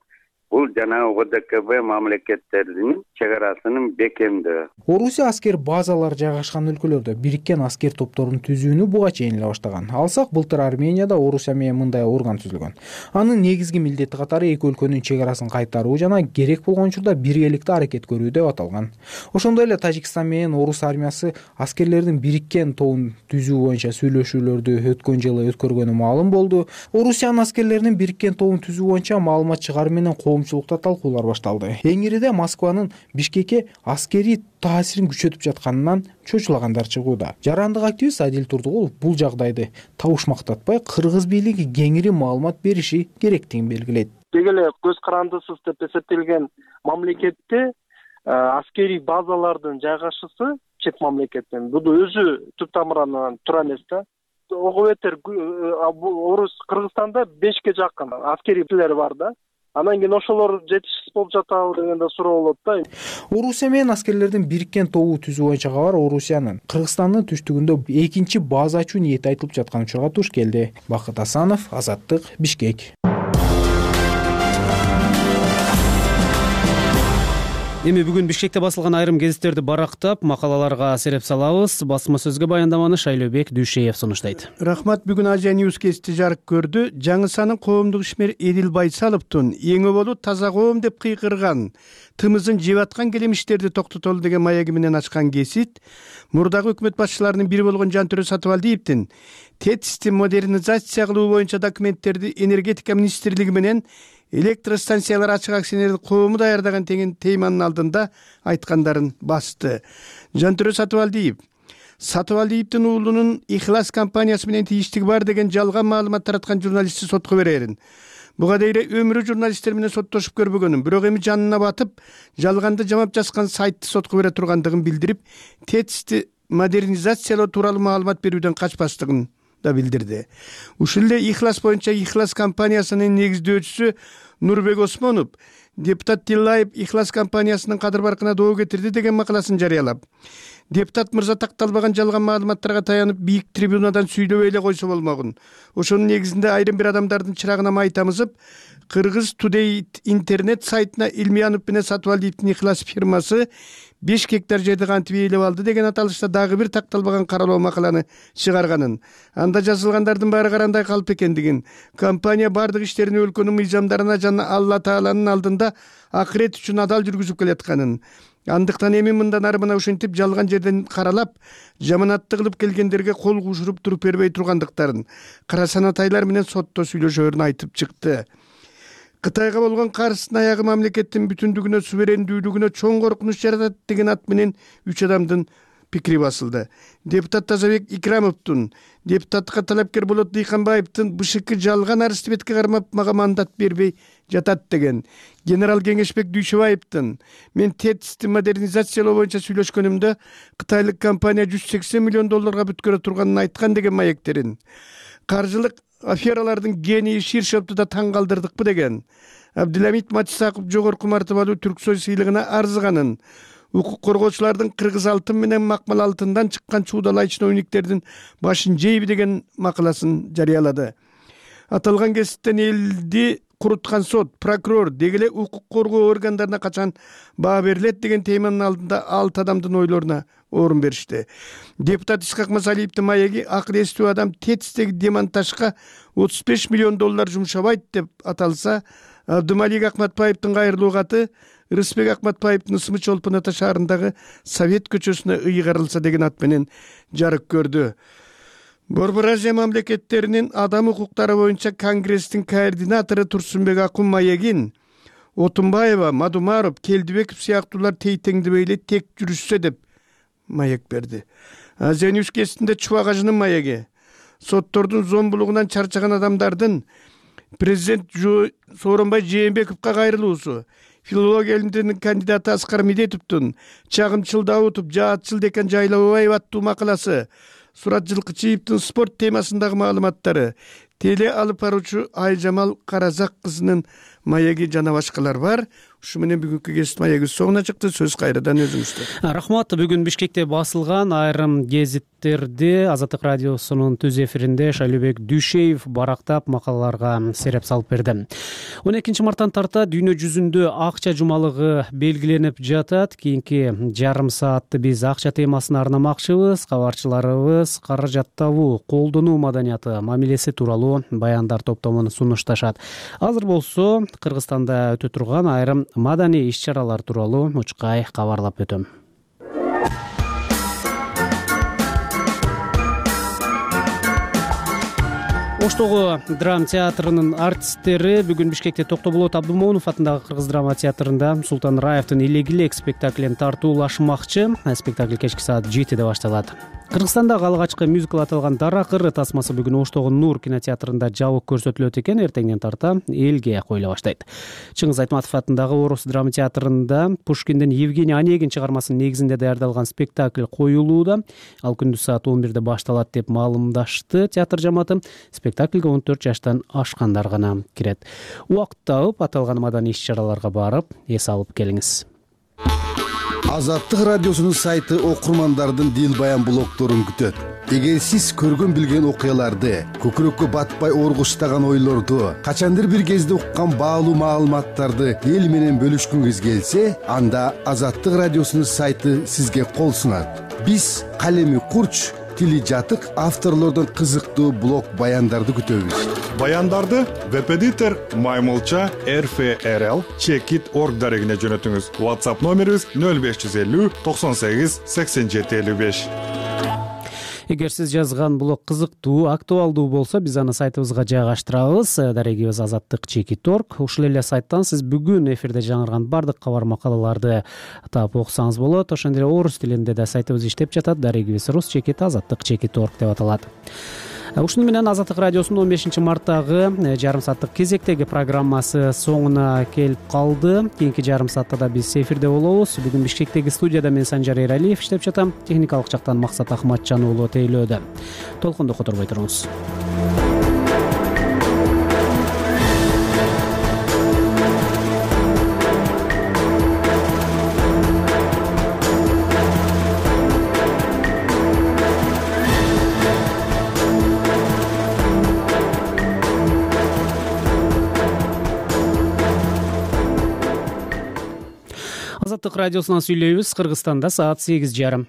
бул жанагы ОДКБ мамлекеттеринин чек арасынын бекемдөө. Орусия аскер базалары жайгашкан өлкөлөрдө бириккен аскер топторун түзүүнү буга чейин эле баштаган. Алсак былтыр Арменияда Орусия менен мындай орган түзүлгөн. Анын негизги милдети катары эки өлкөнүн чек арасын кайтаруу жана керек болгон учурда биргеликте аракет көрүү деп аталган. Ошондой эле Тажикстан менен Орус армиясы аскерлердин бириккен тобун түзүү боюнча сүйлөшүүлөрдү өткөн жылы өткөргөнү маалым болду. Орусиянын аскерлеринин бириккен тобун түзүү боюнча маалымат чыгаруу менен коомчулукта талкуулар башталды. Эң ириде Москванын Бишкекке аскерий таасирин күчөтүп жатканынан чочулагандар чыгууда. Жарандык активист Адил Турдугулов бул жагдайды табышмактатпай, кыргыз бийлиги кеңири маалымат бериши керектигин белгилейт. Деги эле көз карандысыз деп эсептелген мамлекетте аскерий базалардын жайгашысы чет мамлекеттен бул өзү түп тамырынан туура эмес да. Ого бетер Орус Кыргызстанда 5ке жакын аскерийлер бар да. Анан кийин ошолор жетишсиз болуп жатабы деген да суроо болот да. Орусия менен аскерлердин бириккен тобу түзүү боюнча кабар Орусиянын Кыргызстандын түштүгүндө экинчи база ачуу ниети айтылып жаткан учурга туш келди. Бакыт Асанов, Азаттык, Бишкек. Эми бүгүн Бишкекте басылган айрым гезиттерди барактап, макалаларга сереп салабыз. Басма сөзгө баяндаманы Шайлообек Дүйшеев сунуштайт. Рахмат. Бүгүн Азия News гезити жарык көрдү. Жаңысанын коомдук ишмери Эдил Байсаловдун эң өбөлү таза коом деп кыйкырган, тымызын жеп аткан келемиштерди токтотолу деген маеги менен ачкан гезит мурдагы өкмөт башчыларынын бири болгон Жантөрө Сатыбалдиевдин ТЭЦти модернизация кылуу боюнча документтерди энергетика министрлиги менен электростанциялар ачык акционердик коому даярдаган деген теманын алдында айткандарын басты. Жантөрө Сатыбалдиевдин уулунун Ихлас компаниясы менен тийиштиги бар деген жалган маалымат тараткан журналистти сотко берерин. Буга дейре өмүрү журналисттер менен соттошуп көрбөгөнүн, бирок эми жанына батып, жалганды жамап жазган сайтты сотко бере тургандыгын билдирип, ТЭЦти модернизациялоо тууралуу маалымат берүүдөн качпастыгын да билдирди. Ушул эле Ихлас боюнча Ихлас компаниясынын негиздөөчүсү Нурбек Осмонов депутат Тиллаев Ихлас компаниясынын кадыр баркына доо кетирди деген макаласын жарыялап, депутат мырза такталбаган жалган маалыматтарга таянып бийик трибунадан сүйлөбөй эле койсо болмогун. Ошонун негизинде айрым бир адамдардын чырагына май тамызып, Кыргыз Today интернет сайтына Илмиянов менен Сатыбалдиевдин Ихлас фирмасы 5 гектар жерди кантип ээлеп алды деген аталышта дагы бир такталбаган каралоо макаланы чыгарганын, анда жазылгандардын баары карандай калып экендигин, компания бардык иштерин өлкөнүн мыйзамдарына жана Алла Тааланын алдында акырет үчүн адал жүргүзүп келатканын, андыктан эми мындан ары мына ушинтип жалган жерден каралап, жаманатты кылып келгендерге кол кушуруп туруп бербей тургандыктарын, кара санатайлар менен сотто сүйлөшөөрүн айтып чыкты. Кытайга болгон каршысынын аягы мамлекеттин бүтүндүгүнө, суверендүүлүгүнө чоң коркунуч жаратат деген ат менен 3 адамдын пикири басылды. Депутат Тазабек Икрамовдун, депутаттыкка талапкер Болот Дыйканбаевдин БШК жалган арызды бетке кармап мага мандат бербей жатат деген, генерал Кеңешбек Дүйшөбаевдин мен ТЭЦти модернизациялоо боюнча сүйлөшкөнүмдө кытайлык компания $180 миллион бүткөрө турганын айткан деген маектерин, каржылык афералардын гении Ширшовду да таң калтырдыкпы деген, Абдыламит Матисаков жогорку мартабалуу Түрксой сыйлыгына арзыганын, укук коргоочулардын кыргыз алтын менен макмал алтындан чыккан чуудалай чиновниктердин башын жейби деген макаласын жарыялады. Аталган кесиптен элди куруткан сот, прокурор, деги эле укук коргоо органдарына качан баа берилет деген теманын алдында 6 адамдын ойлоруна орун беришти. Депутат Исхак Масалиевдин маеги акыл эстүү адам ТЭЦтеги демонтажга $35 миллион жумшабайт деп аталса, Абдымалик Акматбаевдин кайрылуу каты Рыспек Акматбаевдин Ысмы Чолпон Ата шаарындагы Совет көчөсүнө ыйгарылса деген ат менен жарык көрдү. Борбор Азия мамлекеттеринин адам укуктары боюнча Конгресстин координатору Турсунбек Акун маегин Отунбаева, Мадумаров, Келдибеков сыяктуулар тейтеңдебей эле тек жүрүшсө деп маек берди. Азия News гезитинде Чубак Ажынын маеги соттордун зомбулугунан чарчаган адамдардын президент Сооронбай Жээнбековго кайрылуусу, филология илимдеринин кандидаты Аскар Медетовдун Чагымчыл Даутов, Жаатчыл Декан Жайлабаев аттуу макаласы, Сурат Жылкычиевдин спорт темасындагы маалыматтары, теле алып баруучу Айжамал Каразак кызынын маеги жана башкалар бар. Ушу менен бүгүнкү гезит маеги соңуна чыкты. Сөз кайрадан өзүңүздө. Рахмат. Бүгүн Бишкекте басылган айрым гезиттерди Азаттык радиосунун түз эфиринде Шайлообек Дүйшеев барактап макалаларга сереп салып берди. 12 марттан тарта дүйнө жүзүндө акча жумалыгы белгиленип жатат. Кийинки жарым саатты биз акча темасына арнамакчыбыз. Кабарчыларыбыз каражаттабуу, колдонуу маданияты, мамилеси тууралуу баяндар топтомун сунушташат. Азыр болсо Кыргызстанда өтө турган айрым маданий иш-чаралар тууралуу мучкай кабарлап өтөм. Оштогу драма театрынын артисттери бүгүн Бишкекте Токтоболот Абдымомунов атындагы Кыргыз драма театрында Султан Раевдин Илегилек спектаклин тартуулашмакчы. Спектакль кечки саат 7-де башталат. Кыргызстандагы алгачкы мюзикл аталган Дара кыры тасмасы бүгүн Оштогу Нур кинотеатрында жабык көрсөтүлөт экен. Эртеңден тарта элге коюла баштайт. Чыңгыз Айтматов атындагы Орус драма театрында Пушкиндин Евгений Онегин чыгармасынын негизинде даярдалган спектакль коюлууда. Ал күндүз саат 11-де башталат деп маалымдашты театр жамааты. Спектакльге 14 жаштан ашкандар гана кирет. Убакыт тауып аталган маданий иш-чараларга барып, эс алып келиңиз. Азаттык радиосунун сайты окурмандардын дил баян блогдорун күтөт. Эгер сиз көргөн билген окуяларды, көкүрөккө батпай оргуштаган ойлорду, качандыр бир кезде уккан баалуу маалыматтарды эл менен бөлүшкүңүз келсе, анда Азаттык радиосунун сайты сизге кол сунат. Биз калеми курч, тили жатык авторлордон кызыктуу блог баяндарды күтөбүз. Баяндарды веб-эдитор Маймылча rfrl@org дарегине жөнөтүңүз. WhatsApp номерибиз 0550 98 87 55. Эгер сиз жазган блог кызыктуу, актуалдуу болсо, биз аны сайтыбызга жайгаштырабыз. Дарегибиз azattik.org. Ушул эле сайттан сиз бүгүн эфирде жаңырган бардык кабар макалаларды таап окусаңыз болот. Ошондой эле орус тилинде да сайтыбыз иштеп жатат. Дарегибиз rus.azattik.org деп аталат. Ушуну менен Азаттык радиосунун 15 марттагы жарым сааттык кезектеги программасы соңуна келип калды. Кийинки жарым саатта да биз эфирде болобуз. Бүгүн Бишкектеги студияда мен Санжар Эралиев иштеп жатам. Техникалык жактан Максат Ахматжан уулу тейлөөдө. Толкунду которбой туруңуз. Азаттык радиосунан сүйлөйбүз. Кыргызстанда саат 8:30.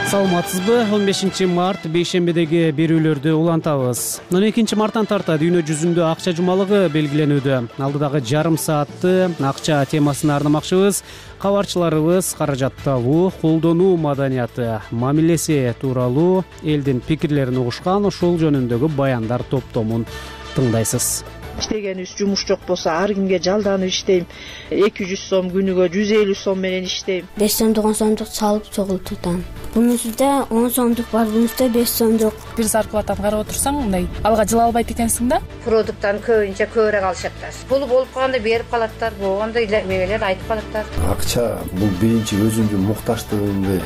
Саламатсызбы? 15 март бейшембедеги берүүлөрдү улантабыз. 12 марттан тарта дүйнө жүзүндө акча жумалыгы белгиленүүдө. Алдыдагы жарым саатты акча темасына арнамакчыбыз. Кабарчыларыбыз каражаттабуу, колдонуу маданияты, мамилеси тууралуу элдин пикирлерин угушкан ушул жөнүндөгү баяндар топтомун тыңдайсыз. Иштегенибиз жумуш жок болсо ар кимге жалданып иштейм. 200 сом күнүгө 150 сом менен иштейм. 5 сомдук 10 сомдук салып чогултутам. Бунусунда 10 сомдук бар, бунусунда 5 сомдук. Бир зарплатаны карап отурсаң, мындай алга жыла албайт экенсиң да. Продукттан көбүнчө көбүрөөк алышаттар. Пулу болуп калганда берип калаттар, болгондо мегелер айтып калаттар. Акча бул биринчи өзүңдүн муктаждыгыңды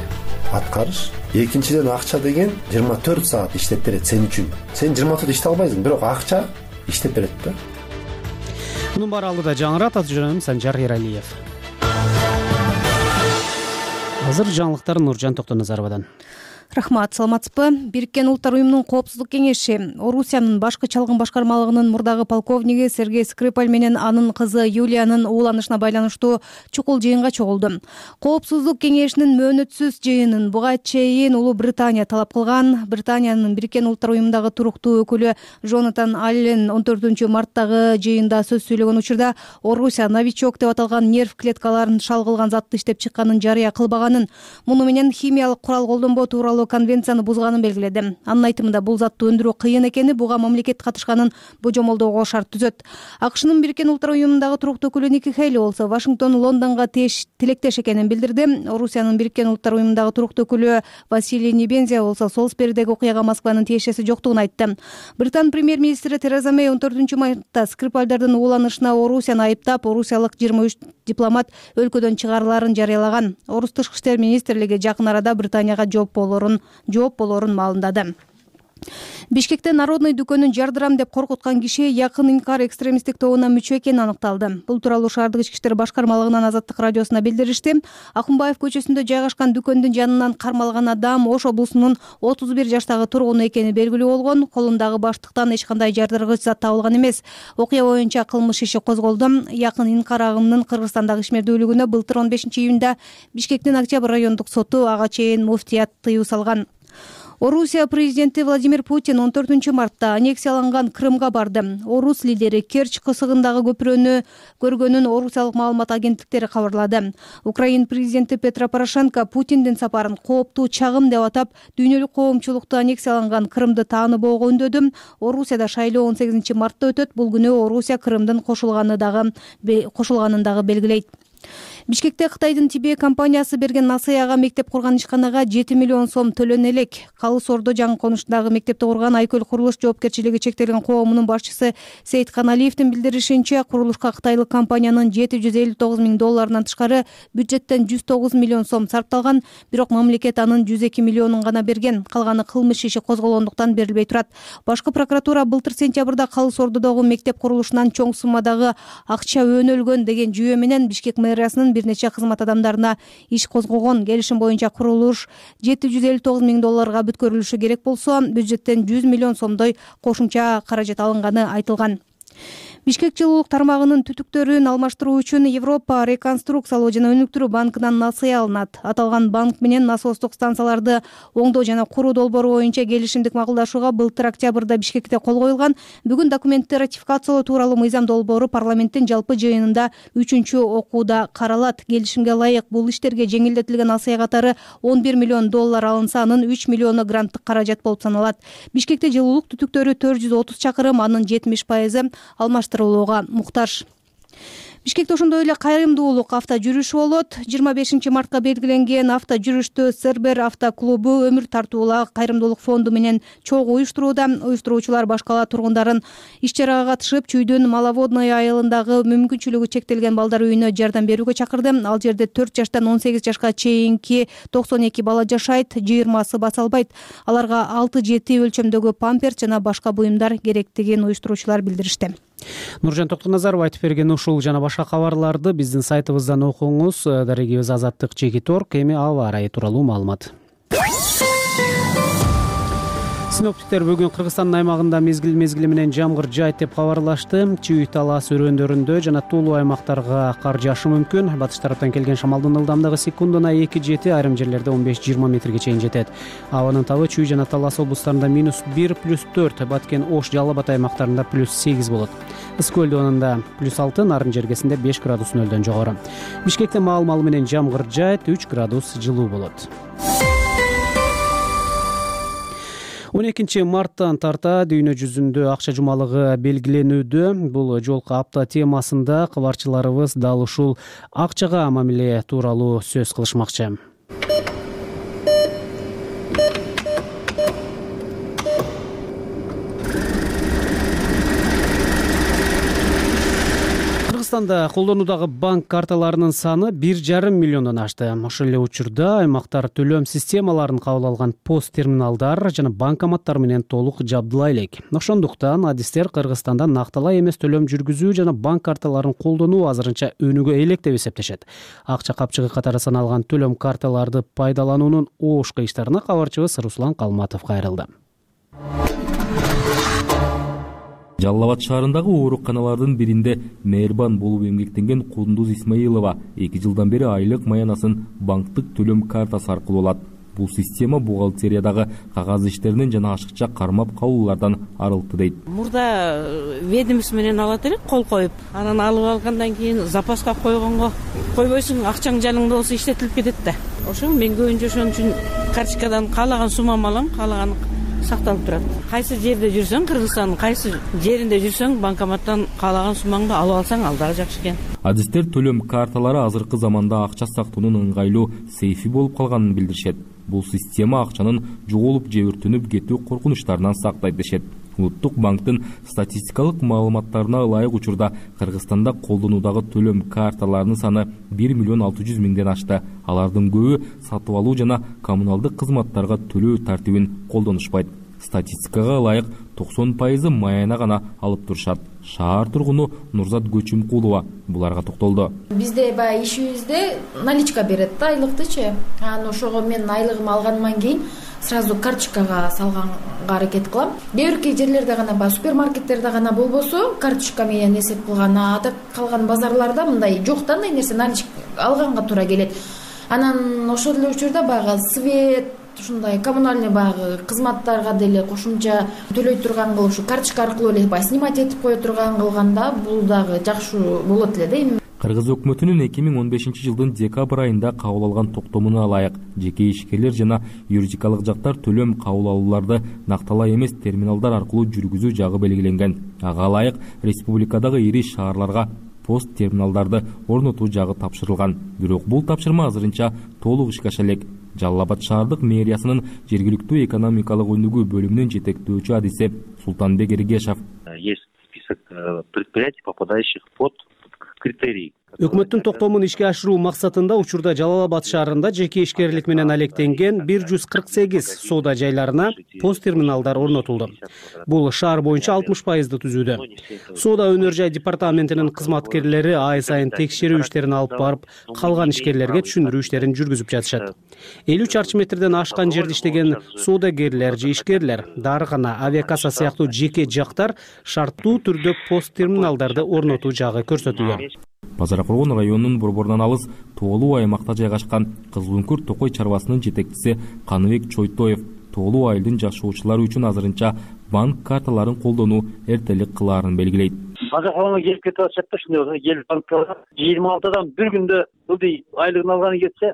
аткарыш. Экинчиден акча деген 24 саат иштеп берет сен үчүн. Сен 24 иштей албайсың, бирок акча иштеп берет да. Мунун баары алдыда жаңырат. Аты жөнүм Санжар Эралиев. Азыр жаңылыктар Нуржан Токтоназаровадан. Рахмат, саламатсызбы? Бириккен Улуттар уюмунун коопсуздук кеңеши Орусиянын башкы чалгын башкармалыгынын мурдагы полковниги Сергей Скрипаль менен анын кызы Юлиянын ууланышына байланыштуу чукул жыйынга чогулду. Коопсуздук кеңешинин мөөнөтсүз жыйынын буга чейин Улуу Британия талап кылган. Британиянын Бириккен Улуттар уюмундагы туруктуу өкүлү Джонатан Аллен 14 марттагы жыйында сөз сүйлөгөн учурда Орусия новичок деп аталган нерв клеткаларын шалгылган затты иштеп чыкканын жарыя кылбаганын, муну менен химиялык курал колдонбоо тууралуу конвенцияны бузганын белгиледи. Анын айтымында бул затты өндүрүү кыйын экени, буга мамлекет катышканын божомолдоого шарт түзөт. АКШнын Бириккен Улуттар уюмундагы туруктуу өкүлү Ники Хейли болсо Вашингтон Лондонго тилектеш экенин билдирди. Орусиянын Бириккен Улуттар уюмундагы туруктуу өкүлү Василий Небензия болсо Солсберидеги окуяга Москванын тиешеси жоктугун айтты. Британ премьер-министри Тереза Мэй 14 мартта Скрипальдардын ууланышына Орусияны айыптап, орусиялык 23 дипломат өлкөдөн чыгарыларын жарыялаган. Орус тышкы иштер министрлиги жакын арада Британияга жооп болорун маалымдады. Бишкекте Народный дүкөнүн жардырам деп коркуткан киши якын инкар экстремисттик тобуна мүчө экени аныкталды. Бул тууралуу шаардык ички иштер башкармалыгынын Азаттык радиосуна билдиришти. Акунбаев көчөсүндө жайгашкан дүкөндүн жанынан кармалган адам Ош облусунун 31 жаштагы тургуну экени белгилүү болгон. Колундагы баштыктан эч кандай жардыргыч зат табылган эмес. Окуя боюнча кылмыш иши козголду. Якын инкар агымынын Кыргызстандагы ишмердүүлүгүнө былтыр 15 июнда Бишкектин Октябрь райондук соту ага чейин муфтият тыюу салган. Орусия президенти Владимир Путин 14 мартта аннексияланган Крымга барды. Орус лидери Керчь кысыгындагы көпүрөнү көргөнүн орусиялык маалымат агенттиктери кабарлады. Украин президенти Петро Порошенко Путиндин сапарын кооптуу чагым деп атап, дүйнөлүк коомчулукту аннексияланган Крымды тааныбоого үндөдү. Орусияда шайлоо 18 мартта өтөт. Бул күнү Орусия Крымдын кошулганын дагы белгилейт. Бишкекте Кытайдын Тибе компаниясы берген насыяга мектеп курган ишканага 7 миллион сом төлөнө элек. Калыс Ордо жаңы конуштагы мектепти курган Айкөл курулуш жоопкерчилиги чектелген коомунун башчысы Сейит Каналиевдин билдиришинче, курулушка кытайлык компаниянын $759 миң тышкары бюджеттен 109 миллион сом сарпталган, бирок мамлекет анын 102 миллионун гана берген. Калганы кылмыш иши козголгондуктан берилбей турат. Башкы прокуратура былтыр сентябрда Калыс Ордодогу мектеп курулушунан чоң суммадагы акча өнөлгөн деген жүйө менен Бишкек мэриясынын бир нече кызмат адамдарына иш козгогон. Келишим боюнча курулуш $759 миң бүткөрүлүшү керек болсо, бюджеттен 100 миллион сомдой кошумча каражат алынганы айтылган. Бишкек жылуулук тармагынын түтүктөрүн алмаштыруу үчүн Европа реконструкциялоо жана өнүктүрүү банкынан насыя алынат. Аталган банк менен насостук станцияларды оңдоо жана куруу долбоору боюнча келишимдик макулдашууга былтыр октябрда Бишкекте кол коюлган. Бүгүн документти ратификациялоо тууралуу мыйзам долбоору парламенттин жалпы жыйынында 3-чү окууда каралат. Келишимге ылайык бул иштерге жеңилдетилген насыя катары $11 миллион алынса, анын 3 миллиону гранттык каражат болуп саналат. Бишкекте жылуулук түтүктөрү 430 чакырым, анын 70% алмаштырылууга муктаж. Бишкекте ошондой эле кайрымдуулук авто жүрүшү болот. 25 мартка белгиленген авто жүрүштү Сербер автоклубу өмүр тартуулаа кайрымдуулук фонду менен чогуу уюштурууда. Уюштуруучулар башка кала тургундарын иш чарага катышып, Чүйдүн Маловодной айылындагы мүмкүнчүлүгү чектелген балдар үйүнө жардам берүүгө чакырды. Ал жерде 4 жаштан 18 жашка чейинки 92 бала жашайт, 20сы баса албайт. Аларга 6-7 өлчөмдөгү памперс жана башка буюмдар керектигин уюштуруучулар билдиришти. Нуржан Токтоназаров айтып берген ушул жана башка кабарларды биздин сайтыбыздан окуңуз. Дарегибиз Азаттык Чекиторг. Эми аба ырайы тууралуу маалымат. Синоптиктер бүгүн Кыргызстандын аймагында мезгил менен жамгыр жаайт деп кабарлашты. Чүй талас өрөөндөрүндө жана Тулуу аймактарга кар жаашы мүмкүн. Батыш тараптан келген шамалдын ылдамдыгы секундуна 2-7, айрым жерлерде 15-20 метрге чейин жетет. Абанын табы Чүй жана Талас облустарында -1, +4, Баткен, Ош, Жалал Абад аймактарында +8 болот. Ысык Көлдө +6, Нарын жергесинде 5 градус нөлдөн жогору. Бишкекте маал менен жамгыр жаайт, 3 градус жылуу болот. 12 марттан тарта дүйнө жүзүндө акча жумалыгы белгиленүүдө. Бул жолку апта темасында кабарчыларыбыз дал ушул акчага мамиле тууралуу сөз кылышмакчы. Кыргызстанда колдонуудагы банк карталарынын саны 1,5 миллиондон ашты. Ошол эле учурда аймактар төлөм системаларын кабыл алган пост терминалдар жана банкоматтар менен толук жабдыла элек. Ошондуктан адистер Кыргызстанда накталай эмес төлөм жүргүзүү жана банк карталарын колдонуу азырынча өнүгө элек деп эсептешет. Акча капчыгы катары саналган төлөм карталарды пайдалануунун оош кыйыштарына кабарчыбыз Руслан Калматов кайрылды. Жалал Абад шаарындагы ооруканалардын биринде мээрбан болуп эмгектенген Кундуз Исмаилова 2 жылдан бери айлык маянасын банктык төлөм картасы аркылуу алат. Бул система бухгалтериядагы кагаз иштеринен жана ашыкча кармап калуулардан арылтты дейт. Мурда ведомство менен алат элек, кол коюп, анан алып алгандан кийин запаска койбойсуң, акчаң жаныңда болсо иштетилип кетет да. Ошо мен көбүнчө ошон үчүн карточкадан каалаган суммамды алам, каалаган сакталып турат. Кайсы жерде жүрсөң, Кыргызстандын кайсы жеринде жүрсөң, банкоматтан каалаган суммаңды алып алсаң, ал дагы жакшы экен. Адистер төлөм карталары азыркы заманда акча сактоонун ыңгайлуу сейфи болуп калганын билдиришет. Бул система акчанын жоголуп же өртөнүп кетүү коркунучтарынан сактайт дешет. Улуттук банктын статистикалык маалыматтарына ылайык учурда Кыргызстанда колдонуудагы төлөм карталарынын саны 1,6 миллион ашты. Алардын көбү сатып алуу жана коммуналдык кызматтарга төлөө тартибин колдонушпайт. Статистикага ылайык 90% маяна гана алып турушат. Шаар тургуну Нурзат Көчүмкулова буларга токтолду. Бизде баягы ишибизде наличка берет да, айлыктычы. Анан ошого мен айлыгымды алгандан кийин сразу карточкага салганга аракет кылам. Кээ бир жерлерде гана баягы супермаркеттерде гана болбосо карточка менен эсеп кылган, ада калган базарларда мындай жок да, андай нерсе наличка алганга туура келет. Анан ошол эле учурда баягы свет, ушундай коммунальный баягы кызматтарга деле кошумча төлөй турган кылып, ушу карточка аркылуу эле баягы снимать этип кое турган кылганда бул дагы жакшы болот эле да. Кыргыз өкмөтүнүн 2015 жылдын декабрь айында кабыл алган токтомуна ылайык жеке ишкерлер жана юридикалык жактар төлөм кабыл алууларды накталай эмес терминалдар аркылуу жүргүзүү жагы белгиленген. Ага ылайык республикадагы ири шаарларга пост терминалдарды орнотуу жагы тапшырылган. Бирок бул тапшырма азырынча толук ишке аша элек. Жалал Абад шаардык мэриясынын жергиликтүү экономикалык өнүгүү бөлүмүнүн жетектөөчү адиси Султанбек Эргешов. Есть список предприятий, попадающих под критерии. Өкмөттүн токтомун ишке ашыруу максатында учурда Жалал Абад шаарында жеке ишкерлик менен алектенген 148 соода жайларына пост терминалдар орнотулду. Бул шаар боюнча 60% түзүүдө. Соода өнөр жай департаментинин кызматкерлери ай сайын текшерүү иштерин алып барып, калган ишкерлерге түшүндүрүү иштерин жүргүзүп жатышат. 50 чарчы метрден ашкан жерде иштеген соодагерлер же ишкерлер, дарыкана, авиакасса сыяктуу жеке жактар шарттуу түрдө пост терминалдарды орнотуу жагы көрсөтүлгөн. Базар Кургон районунун борборунан алыс тоолуу аймакта жайгашкан Кызылүңкүр Токой чарбасынын жетекчиси Каныбек Чойтоев тоолуу айылдын жашоочулары үчүн азырынча банк карталарын колдонуу эртелик кылаарын белгилейт. Базар Кургонго келип кетип атышат да, ушундай келип банкка 26-дан бир күндө ылдый айлыгын алганы кетсе,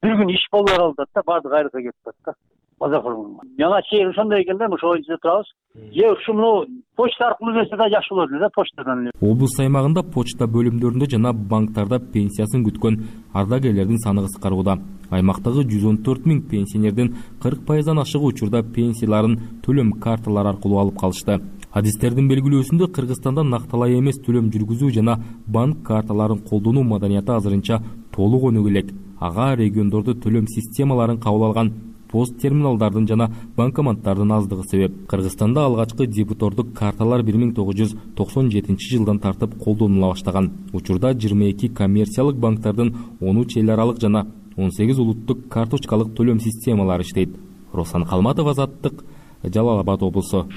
бир күн иш болбой калат да, баардык айлыкка кетип атат да. Базар Кургонго. Жана чейин ошондой экен да, ошол жерде турабыз. Же ушуну почта аркылуу берсе да жакшы болот эле да, почтадан. Облус аймагында почта бөлүмдөрүндө жана банктарда пенсиясын күткөн ардагерлердин саны кыскарууда. Аймактагы 114 000 пенсионердин 40%дан ашыгы учурда пенсияларын төлөм карталары аркылуу алып калышты. Адистердин белгилөөсүндө Кыргызстанда накталай эмес төлөм жүргүзүү жана банк карталарын колдонуу маданияты азырынча толук өнүгө элек. Ага региондордо төлөм системаларын кабыл алган пост терминалдардын жана банкоматтардын аздыгы себеп. Кыргызстанда алгачкы дебитордук карталар 1997 жылдан тартып колдонула баштаган. Учурда 22 коммерциялык банктардын 13 эл аралык жана 18 улуттук карточкалык төлөм системалары иштейт. Руслан Калматов, Азаттык, Жалал Абад облусу.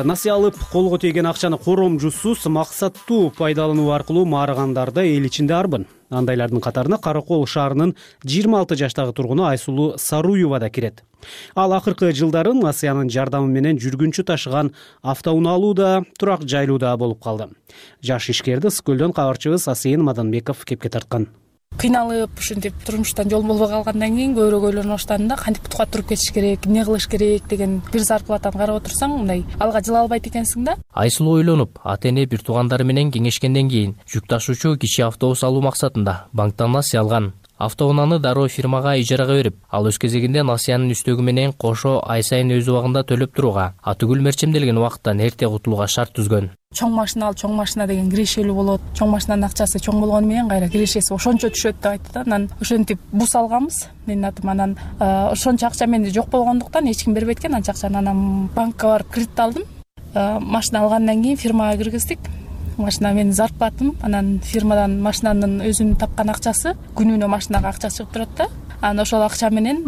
Насыя алып колго тийген акчаны коромжусуз максаттуу пайдалануу аркылуу маарыгандарды эл ичинде арбын. Андайлардын катарына Каракол шаарынын 26 жаштагы тургуну Айсулуу Саруева да кирет. Ал акыркы жылдары Насыянын жардамы менен жүргүнчү ташыган автоунаа алууда, турак жайлууда болуп калды. Жаш ишкерди Ысык көлдөн кабарчыбыз Асейин Маданбеков кепке тарткан. Кыйналып, ушинтип турмуштан жол болбой калгандан кийин көбүрөөк ойлонуп баштадым да, кантип бутка туруп кетиш керек, эмне кылыш керек деген бир зарплатаны карап отурсаң, мындай алга жыла албайт экенсиң да. Айсулуу ойлонуп, ата-эне бир туугандары менен кеңешкенден кийин жүк ташуучу кичи автобус алуу максатында банктан насыя алган. Автоунааны дароо фирмага ижарага берип, ал өз кезегинде насыянын үстөгү менен кошо ай сайын өз убагында төлөп турууга, атүгүл мерчемделген убакыттан эрте кутулууга шарт түзгөн. Чоң машина ал, чоң машина деген кирешелүү болот. Чоң машинанын акчасы чоң болгону менен кайра кирешеси ошончо түшөт деп айтты да. Анан ошентип бус алганбыз. Менин атым анан ошончо акча менде жок болгондуктан эч ким бербейт экен анча акчаны. Анан банкка барып кредит алдым. Машина алгандан кийин фирмага киргиздик. Машина менин зарплатам, анан фирмадан машинанын өзүнүн тапкан акчасы, күнүнө машинага акча чыгып турат да. Анан ошол акча менен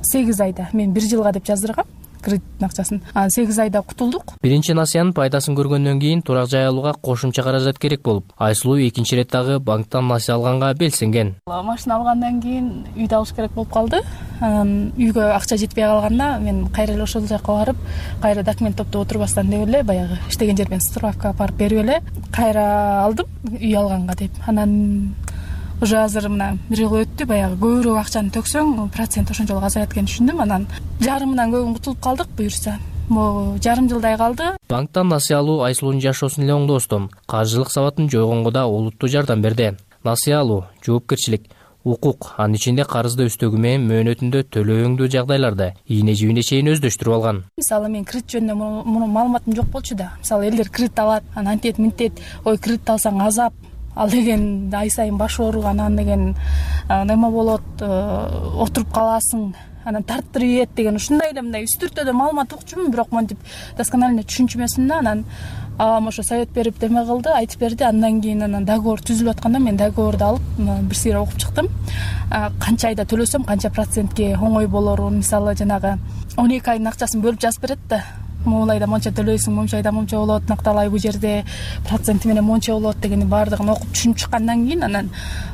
8 айда, мен 1 жылга деп жаздыргам кредиттин акчасын. Анан 8 айда кутулдук. Биринчи насыянын пайдасын көргөндөн кийин турак жай алууга кошумча каражат керек болуп, Айсулуу экинчи рет дагы банктан насыя алганга белсенген. Машина алгандан кийин үйдө алыш керек болуп калды. Анан үйгө акча жетпей калганда мен кайра эле ошол жака барып, кайра документ топтоп отурбастан деп эле баягы иштеген жерден справка барып берип эле кайра алдым үй алганга деп. Анан уже азыр мына бир жыл өттү, баягы көбүрөөк акчаны төксөң процент ошончолук азаят экенин түшүндүм. Анан жарымынан көбүн кутулуп калдык буюрса. Могу жарым жылдай калды. Банктан насыя алуу Айсулуунун жашоосун эле оңдостон, каржылык сабатын жойгонго да олуттуу жардам берди. Насыя алуу жоопкерчилик, укук, анын ичинде карызды өстөгү менен мөөнөтүндө төлөөңдүү жагдайларды ийне жибине чейин өздөштүрүп алган. Мисалы мен кредит жөнүндө муну маалыматым жок болчу да. Мисалы элдер кредит алат, анан антет мынтет, ой кредит алсаң азап, ал деген ай сайын баш оору, анан деген неме болот, отуруп каласың, анан тарттырып ийет деген ушундай эле мындай үстүртөдө маалымат укчумун, бирок монтип досконально түшүнчүмөсүм да. Анан абам ошо совет берип деме кылды, айтып берди. Андан кийин анан договор түзүлүп атканда мен договорду алып бир сыйра окуп чыктым. Канча айда төлөсөм канча процентке оңой болорун, мисалы жанагы 12 айдын акчасын бөлүп жазып берет да. Могул айда монча төлөйсүң, монча айда монча болот, накталай бул жерде проценти менен монча болот дегенди баардыгын окуп түшүнүп чыккандан кийин анан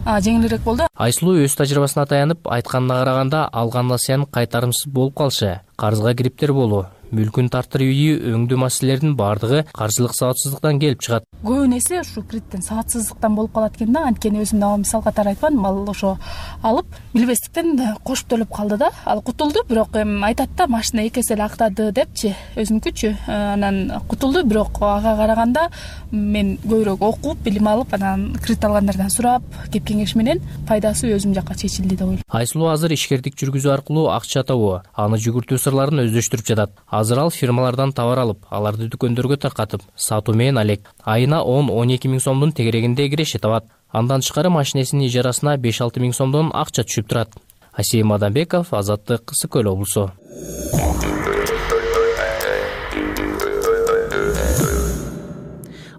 жеңилирээк болду. Айсулуу өз тажрыйбасына таянып айтканына караганда алган насыянын кайтарымсыз болуп калышы, карызга кириптер болуу, мүлкүн тартыруу өңдүү маселелеринин баардыгы каржылык сабатсыздыктан келип чыгат. Көбүн эсе ушу кредиттен сабатсыздыктан болуп калат экен да. Анткени өзүм дагы мисал катары айтпадым, ал ошо алып билбестиктен кошуп төлөп калды да. Ал кутулду, бирок эми айтат да, машина 2 эсе эле актады депчи, өзүнүкүчү. Анан кутулду, бирок ага караганда мен көбүрөөк окуп, билим алып, анан кредит алгандардан сурап, кеп кеңеш менен пайдасы өзүм жакка чечилди деп ойлойм. Айсулуу азыр ишкердик жүргүзүү аркылуу акча табуу, аны жүгүртүү сырларын өздөштүрүп жатат. Азыр ал фирмалардан товар алып, аларды дүкөндөргө таркатып, сатуу менен алек. Айына 10-12 миң сомдун тегерегинде киреше табат. Андан тышкары машинесинин ижарасына 5-6 миң сомдон акча түшүп турат. Асейим Адамбеков, Азаттык, Ысык Көл облусу.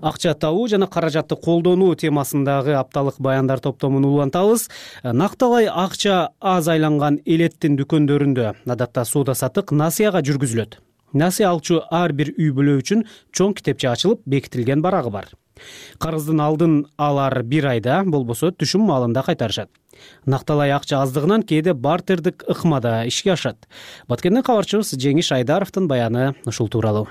Акча табуу жана каражатты колдонуу темасындагы апталык баяндар топтомун улантабыз. Накталай акча аз айланган элеттин дүкөндөрүндө адатта соода-саттык насыяга жүргүзүлөт. Насыя алчу ар бир үй бүлө үчүн чоң китепче ачылып, бекитилген барагы бар. Карыздын алдын алар 1 айда, болбосо түшүм маалында кайтарышат. Накталай акча аздыгынан кээде бартердик ыкмада ишке ашат. Баткенден кабарчыбыз Жеңиш Айдаровдун баяны ушул тууралуу.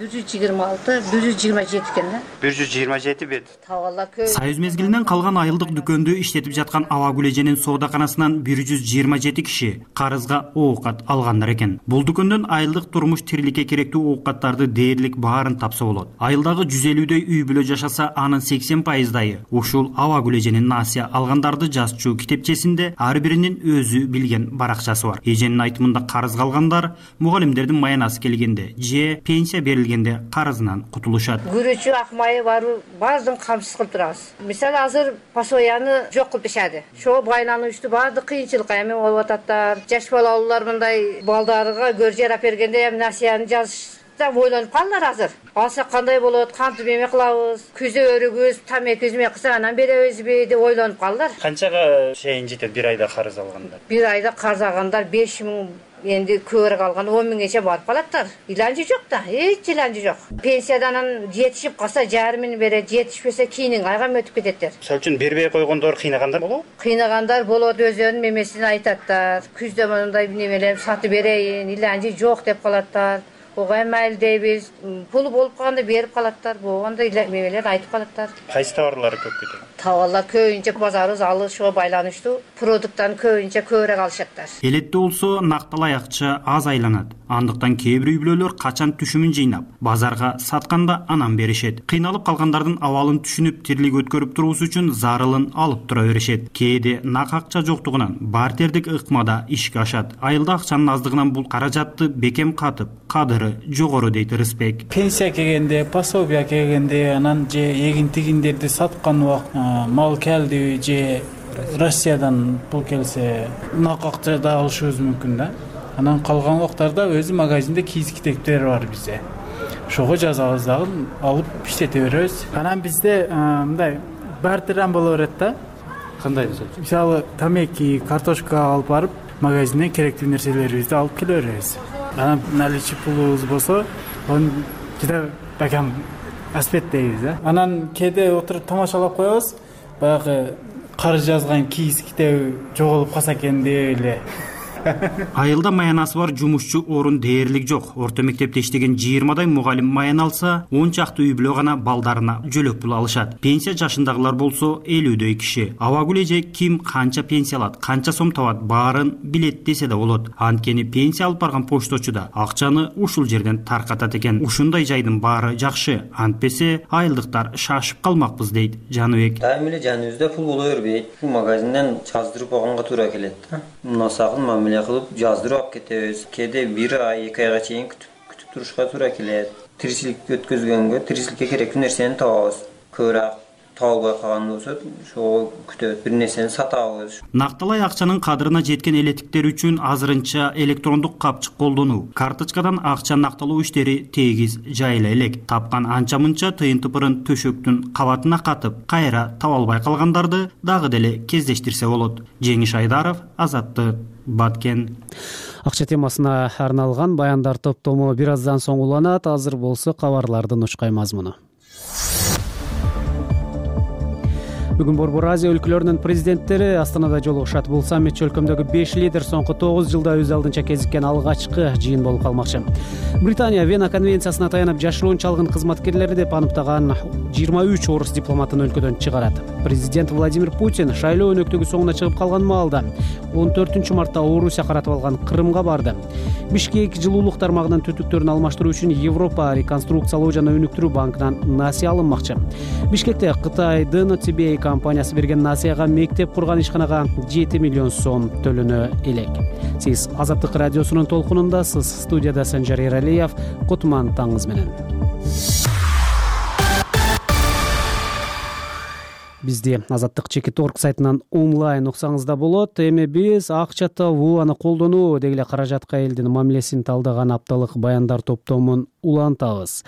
126, 127 экен да. 127 бет. Тавалла көй. Союз мезгилинен калган айылдык дүкөндү иштетип жаткан Аба Гүлеженин соодаканасынан 127 киши карызга оокат алгандар экен. Бул дүкөндөн айылдык турмуш тириликке керектүү оокаттарды дээрлик баарын тапса болот. Айылдагы 150дөй үй бүлө жашаса, анын 80%дайы ушул Аба Гүлеженин насыя алгандарды жазчу китепчесинде ар биринин өзү билген баракчасы бар. Эженин айтымында карызга алгандар мугалимдердин маянасы келгенде же пенсия берилгенде карызынан кутулушат. Күрөчү акмайы бару баардыгын камсыз кылып турабыз. Мисалы азыр пасояны жок кылып ишади. Ошо байлануучту баардык кыйынчылыкка эми болуп ататтар. Жаш балалуулар мындай балдарга көр жарап бергенде эми насыяны жазышта ойлонуп калдылар азыр. Алсак кандай болот, кантип эме кылабыз, күзө өрүгүбүз, тамеки эме кылсак анан беребизби деп ойлонуп калдылар. Канчага чейин жетет 1 айда карыз алгандар? 1 айда карыз алгандар 5 миң, энди көбүрөөк алган 10 миңгече барып калаттар. Иланчы жок да, эч иланчы жок. Пенсиядан жетишип калса жарымын берет, жетишпесе кийинин айга өтүп кететтер. Мисалы үчүн бербей койгондор кыйнагандар болобу? Кыйнагандар болот, өзүнүн мемесин айтаттар. Күздө мындай немелер сатып берейин, иланчы жок деп калаттар. Ого майыл дейбиз, пул болуп калганда берип калаттар, болгондо мемелер айтып калаттар. Кайсы товарлар көп кетет? Товарлар көбүнчө базарыбыз алышууга байланыштуу, продукттан көбүнчө көбүрөөк алышаттар. Элетте болсо накталай акча аз айланат. Андыктан кээ бир үй бүлөлөр качан түшүмүн жыйнап, базарга сатканда анан беришет. Кыйналып калгандардын абалын түшүнүп, тирлик өткөрүп туруусу үчүн зарылын алып тура беришет. Кээде нак акча жоктугунан бартердик ыкмада ишке ашат. Айылда акчанын аздыгынан бул каражатты бекем катып, кадыры жогору дейт Рыспек. Пенсия келгенде, пособия келгенде, анан же эгин тигиндерди саткан убакыт мал келди же Россиядан пул келсе, нак акча да алышыбыз мүмкүн да. Анан калган убактарда өзү магазинде кийиз китептер бар бизде. Ошого жазабыз дагы, алып иштете беребиз. Анан бизде мындай бартердан боло берет да. Кандай? Мисалы, тамеки, картошка алып барып, магазинден керектүү нерселерибизди алып келе беребиз. Анан наличный пулубуз болсо, аны жада бакам аспет дейбиз да. Анан кээде отуруп тамашалап коебуз. Баягы карыз жазган кийиз китеби жоголуп калса экен деп эле. Айылда маянасы бар жумушчу орун дээрлик жок. Орто мектепте иштеген 20дай мугалим маян алса, 10 чакты үй бүлө гана балдарына жөлөк пул алышат. Пенсия жашындагылар болсо 50дөй киши. Аба Гүлеже ким канча пенсия алат, канча сом табат, баарын билет десе да болот. Анткени пенсия алып барган пошточу да акчаны ушул жерден таркатат экен. Ушундай жайдын баары жакшы. Антпесе айылдыктар шашып калмакпыз дейт Жаныбек. Дайым эле жаныбызда пул боло бербейт. Бул магазинден жаздырып алганга туура келет да. Насакын мамиле кылып жаздырып алып кетебиз. Кээде 1 ай, 2 айга чейин күтүп турушка туура келет. Тиричилик өткөзгөнгө, тиричиликке керектүү нерсени табабыз. Көбүрөөк табылбай калган болсо, ошого күтөбүз, бир нерсени сатабыз. Накталай акчанын кадырына жеткен элеттиктер үчүн азырынча электрондук капчык колдонуу, карточкадан акча накталуу иштери тегиз жайыла элек. Тапкан анча-мынча тыйын-тыпырын төшөктүн кабатына катып, кайра таба албай калгандарды дагы деле кездештирсе болот. Жеңиш Айдаров, Азаттык, Баткен. Акча темасына арналган баяндар топтому бир аздан соң уланат. Азыр болсо кабарлардын учкай мазмуну. Бүгүн Борбор Азия өлкөлөрүнүн президенттери Астанада жолугушат. Бул саммит өлкөмдөгү 5 лидер соңку 9 жылда өз алдынча кезиккен алгачкы жыйын болуп калмакчы. Британия Вена конвенциясына таянып жашыруун чалгын кызматкерлери деп аныктаган 23 орус дипломатын өлкөдөн чыгарат. Президент Владимир Путин шайлоо өнөктүгү соңуна чыгып калган маалда 14 мартта Орусия каратып алган Крымга барды. Бишкек жылуулук тармагынын түтүктөрүн алмаштыруу үчүн Европа реконструкциялоо жана өнүктүрүү банкынан насыя алынмакчы. Бишкекте Кытайдын CBA компаниясы берген насыяга мектеп курган ишканага 7 миллион сом төлөнө элек. Сиз Азаттык радиосунун толкунундасыз. Студияда Санжар Эралиев. Кутман таңыңыз менен. Бизди Азаттык Чекит.org сайтынан онлайн уксаңыз да болот. Эми биз акча табуу, аны колдонуу деги эле каражатка элдин мамилесин талдаган апталык баяндар топтомун улантабыз.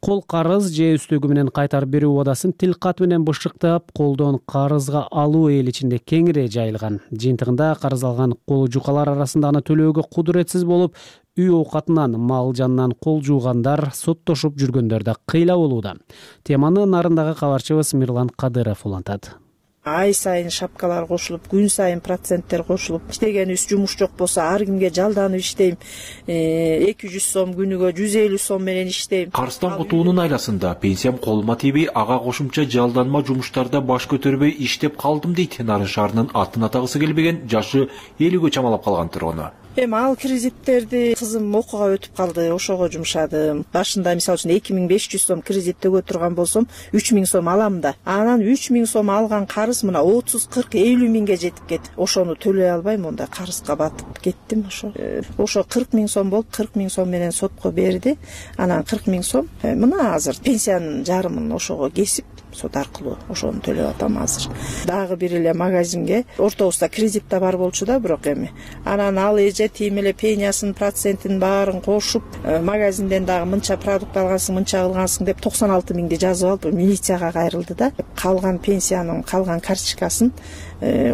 Кол карыз же үстөгү менен кайтарып берүү убадасын тил кат менен бышыктап, колдон карызга алуу эл ичинде кеңири жайылган. Жыйынтыгында карыз алган кол жукалар арасында аны төлөөгө кудуретсиз болуп, үй оокатынан, мал жанынан кол жуугандар, соттошуп жүргөндөр да кыйла болууда. Теманы нарындагы кабарчыбыз Мирлан Кадыров улантат. Ай сайын шапкалар кошулуп, күн сайын проценттер кошулуп, иштегенибиз жумуш жок болсо ар кимге жалданып иштейм. 200 сом күнүгө 150 сом менен иштейм. Карыздан кутуунун айласында пенсиям колума тийбей, ага кошумча жалданма жумуштарда баш көтөрбөй иштеп калдым дейт Нарын шаарынын атын атагысы келбеген жашы 50гө чамалап калган тургуну. Эми ал кредиттерди кызым окууга өтүп калды, ошого жумшадым. Башында мисалы үчүн 2500 сом кредит төгө турган болсом 3000 сом алам да. Анан 3000 сом алган карыз мына 30, 40, 50 миңге жетип кетти. Ошону төлөй албайм, онда карызга батып кеттим ошо. Ошо 40 миң сом болуп, 40 миң сом менен сотко берди. Анан 40 миң сом мына азыр пенсиянын жарымын ошого кесип, сот аркылуу ошону төлөп атам азыр. Дагы бир эле магазинге ортобузда кредит да бар болчу да, бирок эми анан ал тим эле пениясын, процентин баарын кошуп, магазинден дагы мынча продукт алгансың, мынча кылгансың деп 96 миңди жазып алып, милицияга кайрылды да. Калган пенсиянын калган карточкасын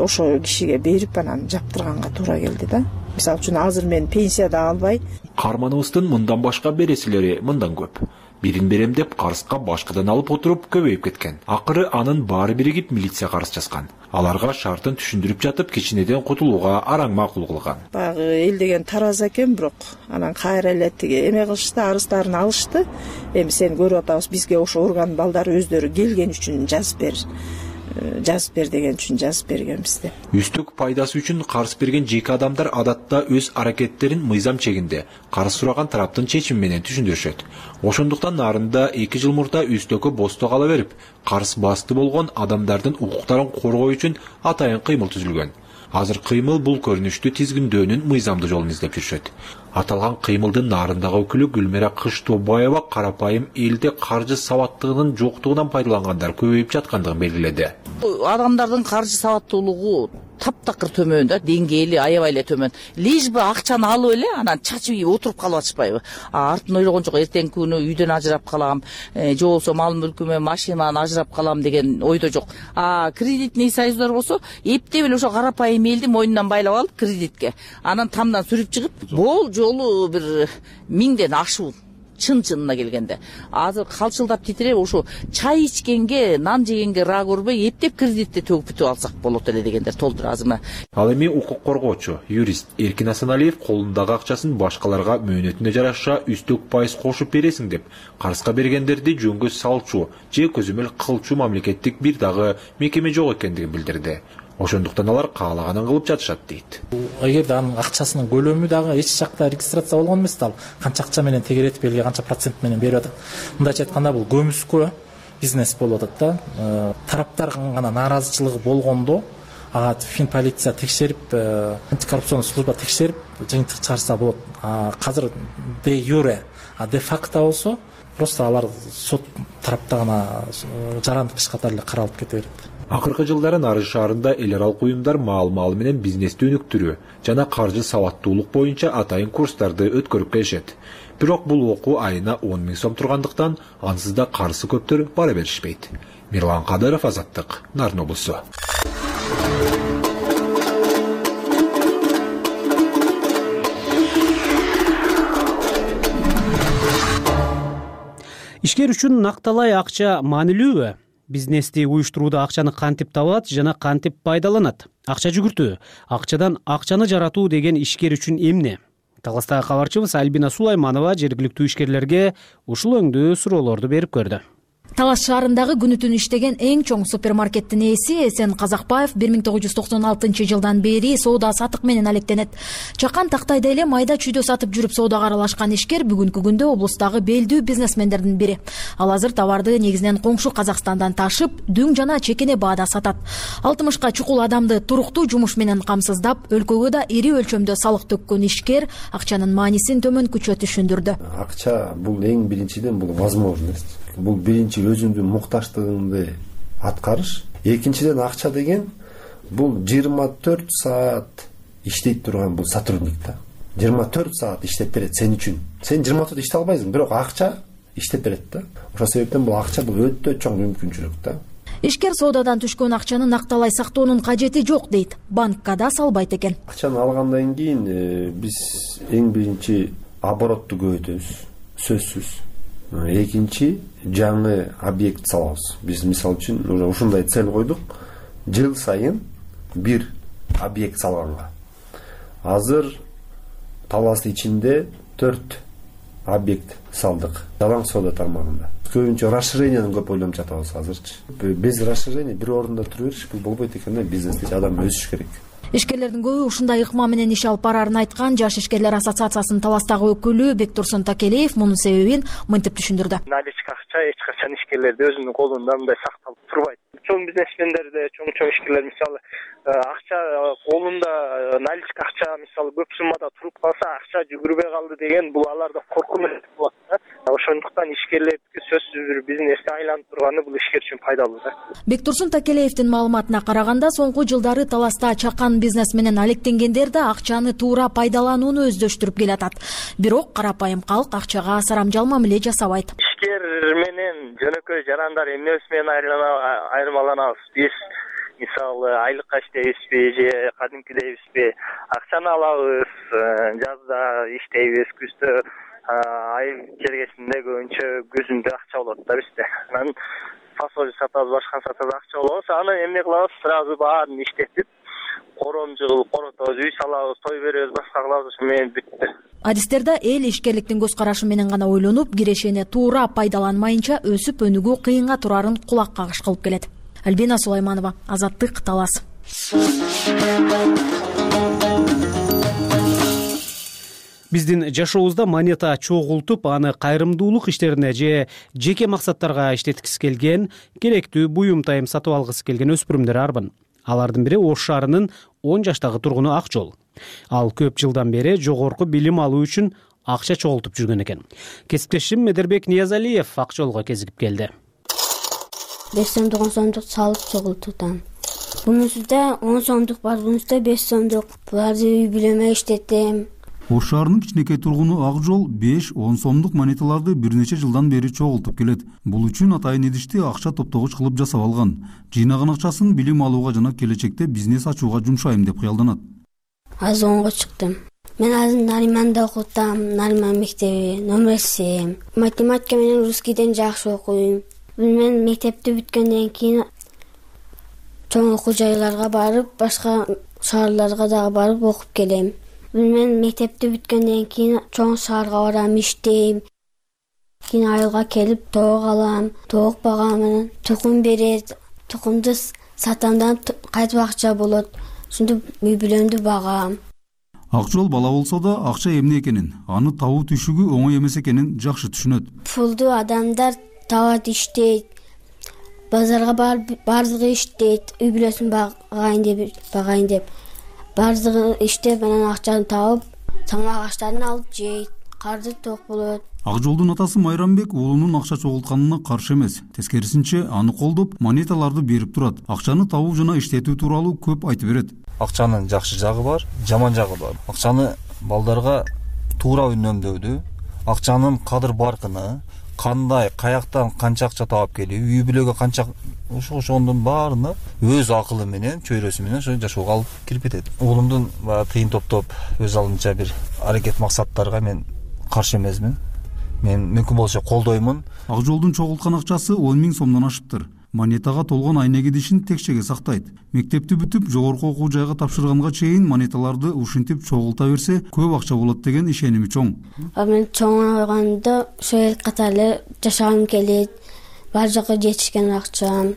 ошо кишиге берип, анан жаптырганга туура келди да. Мисалы үчүн азыр мен пенсия да албай. Карманыбыздын мындан башка бересилери мындан көп. Бирин берем деп карызга башкадан алып отуруп көбөйүп кеткен. Акыры анын баары биригип милиция карыз жазган. Аларга шартын түшүндүрүп жатып, кичинеден кутулууга араң макул кылган. Багы эл деген таraz экен, бирок анан кайра эле тиги эме кылышты, арыздарын алышты. Эми сени көрүп атабыз, бизге ошо орган балдары өздөрү келген үчүн жазып бер деген үчүн жазып бергенбиз деп. Үстүк пайдасы үчүн карыз берген жеке адамдар адатта өз аракеттерин мыйзам чегинде карыз сураган тараптын чечими менен түшүндүрүшөт. Ошондуктан нарында 2 жыл мурда үстөккө босто кала берип, карыз басты болгон адамдардын укуктарын коргоо үчүн атайын кыймыл түзүлгөн. Азыр кыймыл бул көрүнүштү тизгиндөөнүн мыйзамдуу жолун издеп жүрүшөт. Аталган кыймылдын нарындагы өкүлү Гүлмира Кыштообаева карапайым элде каржы сабаттыгынын жоктугунан пайдалангандар көбөйүп жаткандыгын белгиледи. Адамдардын каржы сабаттуулугу таптакыр төмөн да, деңгээли аябай эле төмөн. Лишь бы акчаны алып эле анан чачып отуруп калып атышпайбы? Артын ойлогон жок, эртеңки күнү үйдөн ажырап калам, же болбосо мал мүлкүмө, машинаны ажырап калам деген ойдо жок. Кредитный союздар болсо, эптеп эле ошо карапайым элди мойнунан байлап алып кредитке. Анан тамдан сүрүп чыгып, бул жолу бир 1000ден ашуу. Чын-чынына келгенде. Азыр калчылдап титиреп, ошо чай ичкенге, нан жегенге ра көрбөй, эптеп кредитти төгүп бүтүп алсак болот эле дегендер толтур азырмы. Ал эми укук коргоочу, юрист Эркин Асаналиев колундагы акчасын башкаларга мөөнөтүнө жараша үстөк пайыз кошуп бересиң деп, карызга бергендерди жөнгө салчу же көзөмөл кылчу мамлекеттик бир дагы мекеме жок экендигин билдирди. Ошондуктан алар каалаганын кылып жатышат дейт. Эгерде анын акчасынын көлөмү дагы эч жакта регистрация болгон эмес, ал канча акча менен тегеретип элге канча процент менен берип атат. Мындайча айтканда бул көмүскө бизнес болуп атат да. Тараптардын гана нааразычылыгы болгондо ага Финполиция текшерип, антикоррупционный служба текшерип, жыйынтык чыгарса болот. Азыр де юре, де факто болсо просто алар сот тарапта гана жарандык иш катары эле каралып кете берет. Акыркы жылдары Нарын шаарында эл аралык уюмдар маал-маал менен бизнести өнүктүрүү жана каржы сабаттуулук боюнча атайын курстарды өткөрүп келишет. Бирок бул окуу айына 10 000 сом тургандыктан ансыз да карызы көптөр бара беришпейт. Мирлан Кадыров, Азаттык, Нарын облусу. Ишкер үчүн накталай акча маанилүүбү? бизнести уюштурууда акчаны кантип табат жана кантип пайдаланат? Акча жүгүртүү, акчадан акчаны жаратуу деген ишкер үчүн эмне? Таластагы кабарчыбыз Альбина Сулайманова жергиликтүү ишкерлерге ушул өңдүү суроолорду берип көрдү. Талас шаарындагы күнү түн иштеген эң чоң супермаркеттин ээси Эсен Казакбаев 1996 жылдан бери соода сатык менен алектенет. Чакан тактайда эле майда чүйдө сатып жүрүп соодага аралашкан ишкер бүгүнкү күндө облустагы белдүү бизнесмендердин бири. Ал азыр товарды негизинен коңшу Казакстандан ташып, дүң жана чекене баада сатат. 60ка чукул адамды туруктуу жумуш менен камсыздап, өлкөгө да ири өлчөмдө салык төккөн ишкер акчанын маанисин төмөнкүчө түшүндүрдү. Акча бул эң биринчиден бул возможность. Бул биринчи өзүңдүн мукташтыгыңды аткарыш. Экинчиден акча деген бул 24 саат иштей турган бул сотрудник да. 24 саат иштеп берет сен үчүн. Сен 24 иштей албайсың, бирок акча иштеп берет да. Ошол себептен бул акча бул өтө чоң мүмкүнчүлүк да. Ишкер соодадан түшкөн акчаны накталай сактоонун кажети жок дейт. Банкка да салбайт экен. Акчаны алгандан кийин биз эң биринчи оборотту көбөйтөбүз, сөзсүз. Экинчи жаңы объект салабыз. Биз мисалы үчүн ушундай цель койдук. Жыл сайын бир объект салганга. Азыр Талас ичинде 4 объект салдык. Жалаң соода тармагында. Көбүнчө расширенияны көп ойлонуп жатабыз азырчы. Без расширение бир орунда тура бериш бул болбойт экен. Бизнесте адам өсүш керек. Ишкерлердин көбү ушундай ыкма менен иш алып барарын айткан Жаш ишкерлер ассоциациясынын Таластагы өкүлү Бектурсун Такелеев мунун себебин мынтип түшүндүрдү. Наличка акча эч качан ишкерлерде өзүнүн колунда мындай сакталып турбайт. Чоң бизнесмендерде, чоң ишкерлер мисалы акча колунда наличка акча мисалы көп суммада туруп калса, акча жүгүрбөй калды деген бул аларда коркунуч болот да. Ошондуктан ишкерлердики сөзсүз бир бизнесте айланып турганы бул ишкер үчүн пайдалуу да. Бектурсун Такелеевдин маалыматына караганда, соңку жылдары Таласта чакан бизнес менен алектенгендер да акчаны туура пайдаланууну өздөштүрүп келатат. Бирок карапайым калк акчага сарамжал мамиле жасабайт. Ишкер менен жөнөкөй жарандар эмнебиз менен айырмаланабыз? Биз мисалы айлыкка иштейбизби же кадимкидейбизби? Акчаны алабыз, жазда иштейбиз, күздө ай келгесинде көбүнчө күзүндө акча болот да бизде. Анан фасоль сатабыз, башка сатабыз, акча болобуз. Аны эмне кылабыз? Сразу баарын иштетип, коромжул коротобуз, үй салабыз, той беребиз, башка кылабыз, ошо менен бүттү. Адистерде эл ишкерликтин көз карашы менен гана ойлонуп, кирешени туура пайдаланмайынча өсүп өнүгүү кыйынга турарын кулак кагыш кылып келет. Альбина Сулайманова, Азаттык, Талас. Биздин жашообузда монета чогултуп, аны кайрымдуулук иштерине же жеке максаттарга иштеткиси келген, керектүү буюм тайым сатып алгысы келген өспүрүмдөр арбын. Алардын бири Ош шаарынын 10 жаштагы тургуну Акжол. Ал көп жылдан бери жогорку билим алуу үчүн акча чогултуп жүргөн экен. Кесиптешим Медербек Ниязалиев Акжолго кезигип келди. 5 сомдук 10 сомдук салып чогултутам. Бунусунда 10 сомдук бар, бунусунда 5 сомдук. Буларды үй бүлөмө иштетем. Ош шаарынын кичинекей тургуну Акжол 5-10 сомдук монеталарды бир нече жылдан бери чогултуп келет. Бул үчүн атайын идишти акча топтогуч кылып жасап алган. Жыйнаган акчасын билим алууга жана келечекте бизнес ачууга жумшайм деп кыялданат. Азыр 10го чыктым. Мен азыр Нариманда окутам, Нариман мектеби, номер 7. Математика менен русскийден жакшы окуйм. Мен мектепти бүткөндөн кийин чоң окуу жайларга барып, башка шаарларга дагы барып окуп келем. Мен мектепти бүткөндөн кийин чоң шаарга барам, иштейм. Кийин айылга келип тоок алам, тоок багам менен тукум берет. Тукумду сатамдан кайтып акча болот. Ушинтип үй бүлөмдү багам. Акжол бала болсо да акча эмне экенин, аны табуу түшүгү оңой эмес экенин жакшы түшүнөт. Пулду адамдар табат, иштейт. Базарга барып бардыгы иштейт, үй бүлөсүн багайын деп. Бардыгы иштеп, анан акчаны табып, тамак аштарын алып жейт, карды ток болот. Акжолдун атасы Майрамбек уулунун акча чогултканына каршы эмес. Тескерисинче, аны колдоп, монеталарды берип турат. Акчаны табуу жана иштетүү тууралуу көп айтып берет. Акчанын жакшы жагы бар, жаман жагы бар. Акчаны балдарга туура үнөмдөөдү, акчанын кадыр баркыны, кандай, каяктан канча акча таап келүү, үй бүлөгө канча ошондун баарына өз акылы менен, чөйрөсү менен ошо жашоого алып кирип кетет. Уулумдун тыйын топтоп өз алдынча бир аракет максаттарга мен каршы эмесмин. Мен мүмкүн болсо колдоймун. Акжолдун чогулткан акчасы 10 000 сомдон ашыптыр. монетага толгон айнек идишин текчеге сактайт. Мектепти бүтүп жогорку окуу жайга тапшырганга чейин монеталарды ушинтип чогулта берсе көп акча болот деген ишеними чоң. Мен чоңойгондо ошол катары жашагым келет. Бар жакка жетишкен акчам.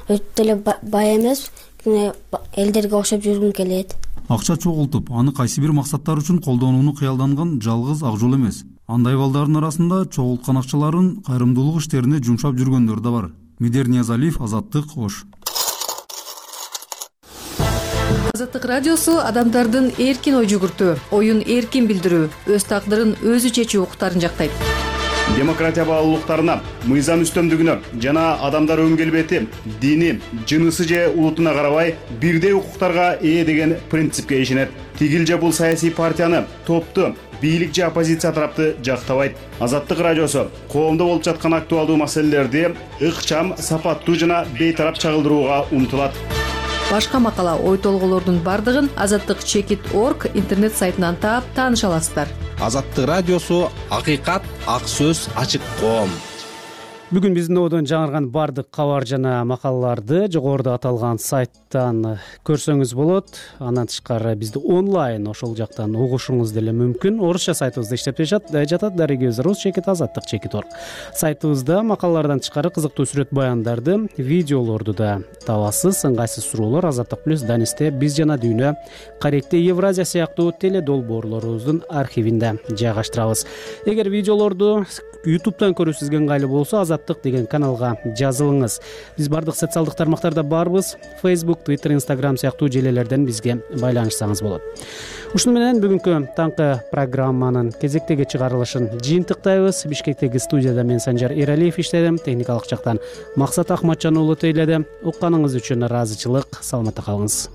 Өтө эле бай эмес, элдерге окшоп жүргүм келет. Акча чогултуп, аны кайсы бир максаттар үчүн колдонууну кыялданган жалгыз ак жол эмес. Андай балдардын арасында чогулткан акчаларын кайрымдуулук иштерине жумшап жүргөндөр да бар. Медер Ниязалиев, Азаттык, Ош. Азаттык радиосу адамдардын эркин ой жүгүртүү, оюн эркин билдирүү, өз тагдырын өзү чечүү укуктарын жактайт. Демократия баалуулуктарына, мыйзам үстөмдүгүнө жана адамдар өң келбети, дини, жынысы же улутуна карабай бирдей укуктарга ээ деген принципке ишенет. Тигил же бул саясий партияны, топту, бийлик же оппозиция тарапты жактабайт. Азаттык радиосу коомдо болуп жаткан актуалдуу маселелерди ыкчам, сапаттуу жана бейтарап чагылдырууга умтулат. Башка макала, ой толголордун бардыгын azattik.org интернет сайтынан таап тааныша аласыздар. Азаттык радиосу акыйкат, ак сөз, ачык коом. Бүгүн биздин одон жаңырган бардык кабар жана макалаларды жогоруда аталган сайттан көрсөңүз болот. Андан тышкары бизди онлайн ошол жактан угушуңуз деле мүмкүн. Орусча сайтыбызда иштеп жатат darigöz.rus.azattik.org. Сайтыбызда макалалардан тышкары кызыктуу сүрөт баяндарды, видеолорду да табасыз. Ыңгайсыз суроолор Азаттык плюс Данисте биз жана дүйнө, Каректе Евразия сыяктуу теледолбоорлорубуздун архивинде жайгаштырабыз. Эгер видеолорду YouTube'дан көрүүсүзгө ыңгайлуу болсо, Азаттык деген каналга жазылыңыз. Биз бардык социалдык тармактарда барбыз. Facebook, Twitter, Instagram сыяктуу желелерден бизге байланышсаңыз болот. Ушуну менен бүгүнкү таңкы программанын кезектеги чыгарылышын жыйынтыктайбыз. Бишкектеги студияда мен Санжар Эралиев иштедим. Техникалык жактан Максат Ахматжан уулу тейледи. Укканыңыз үчүн ыраазычылык. Саламатта калыңыз.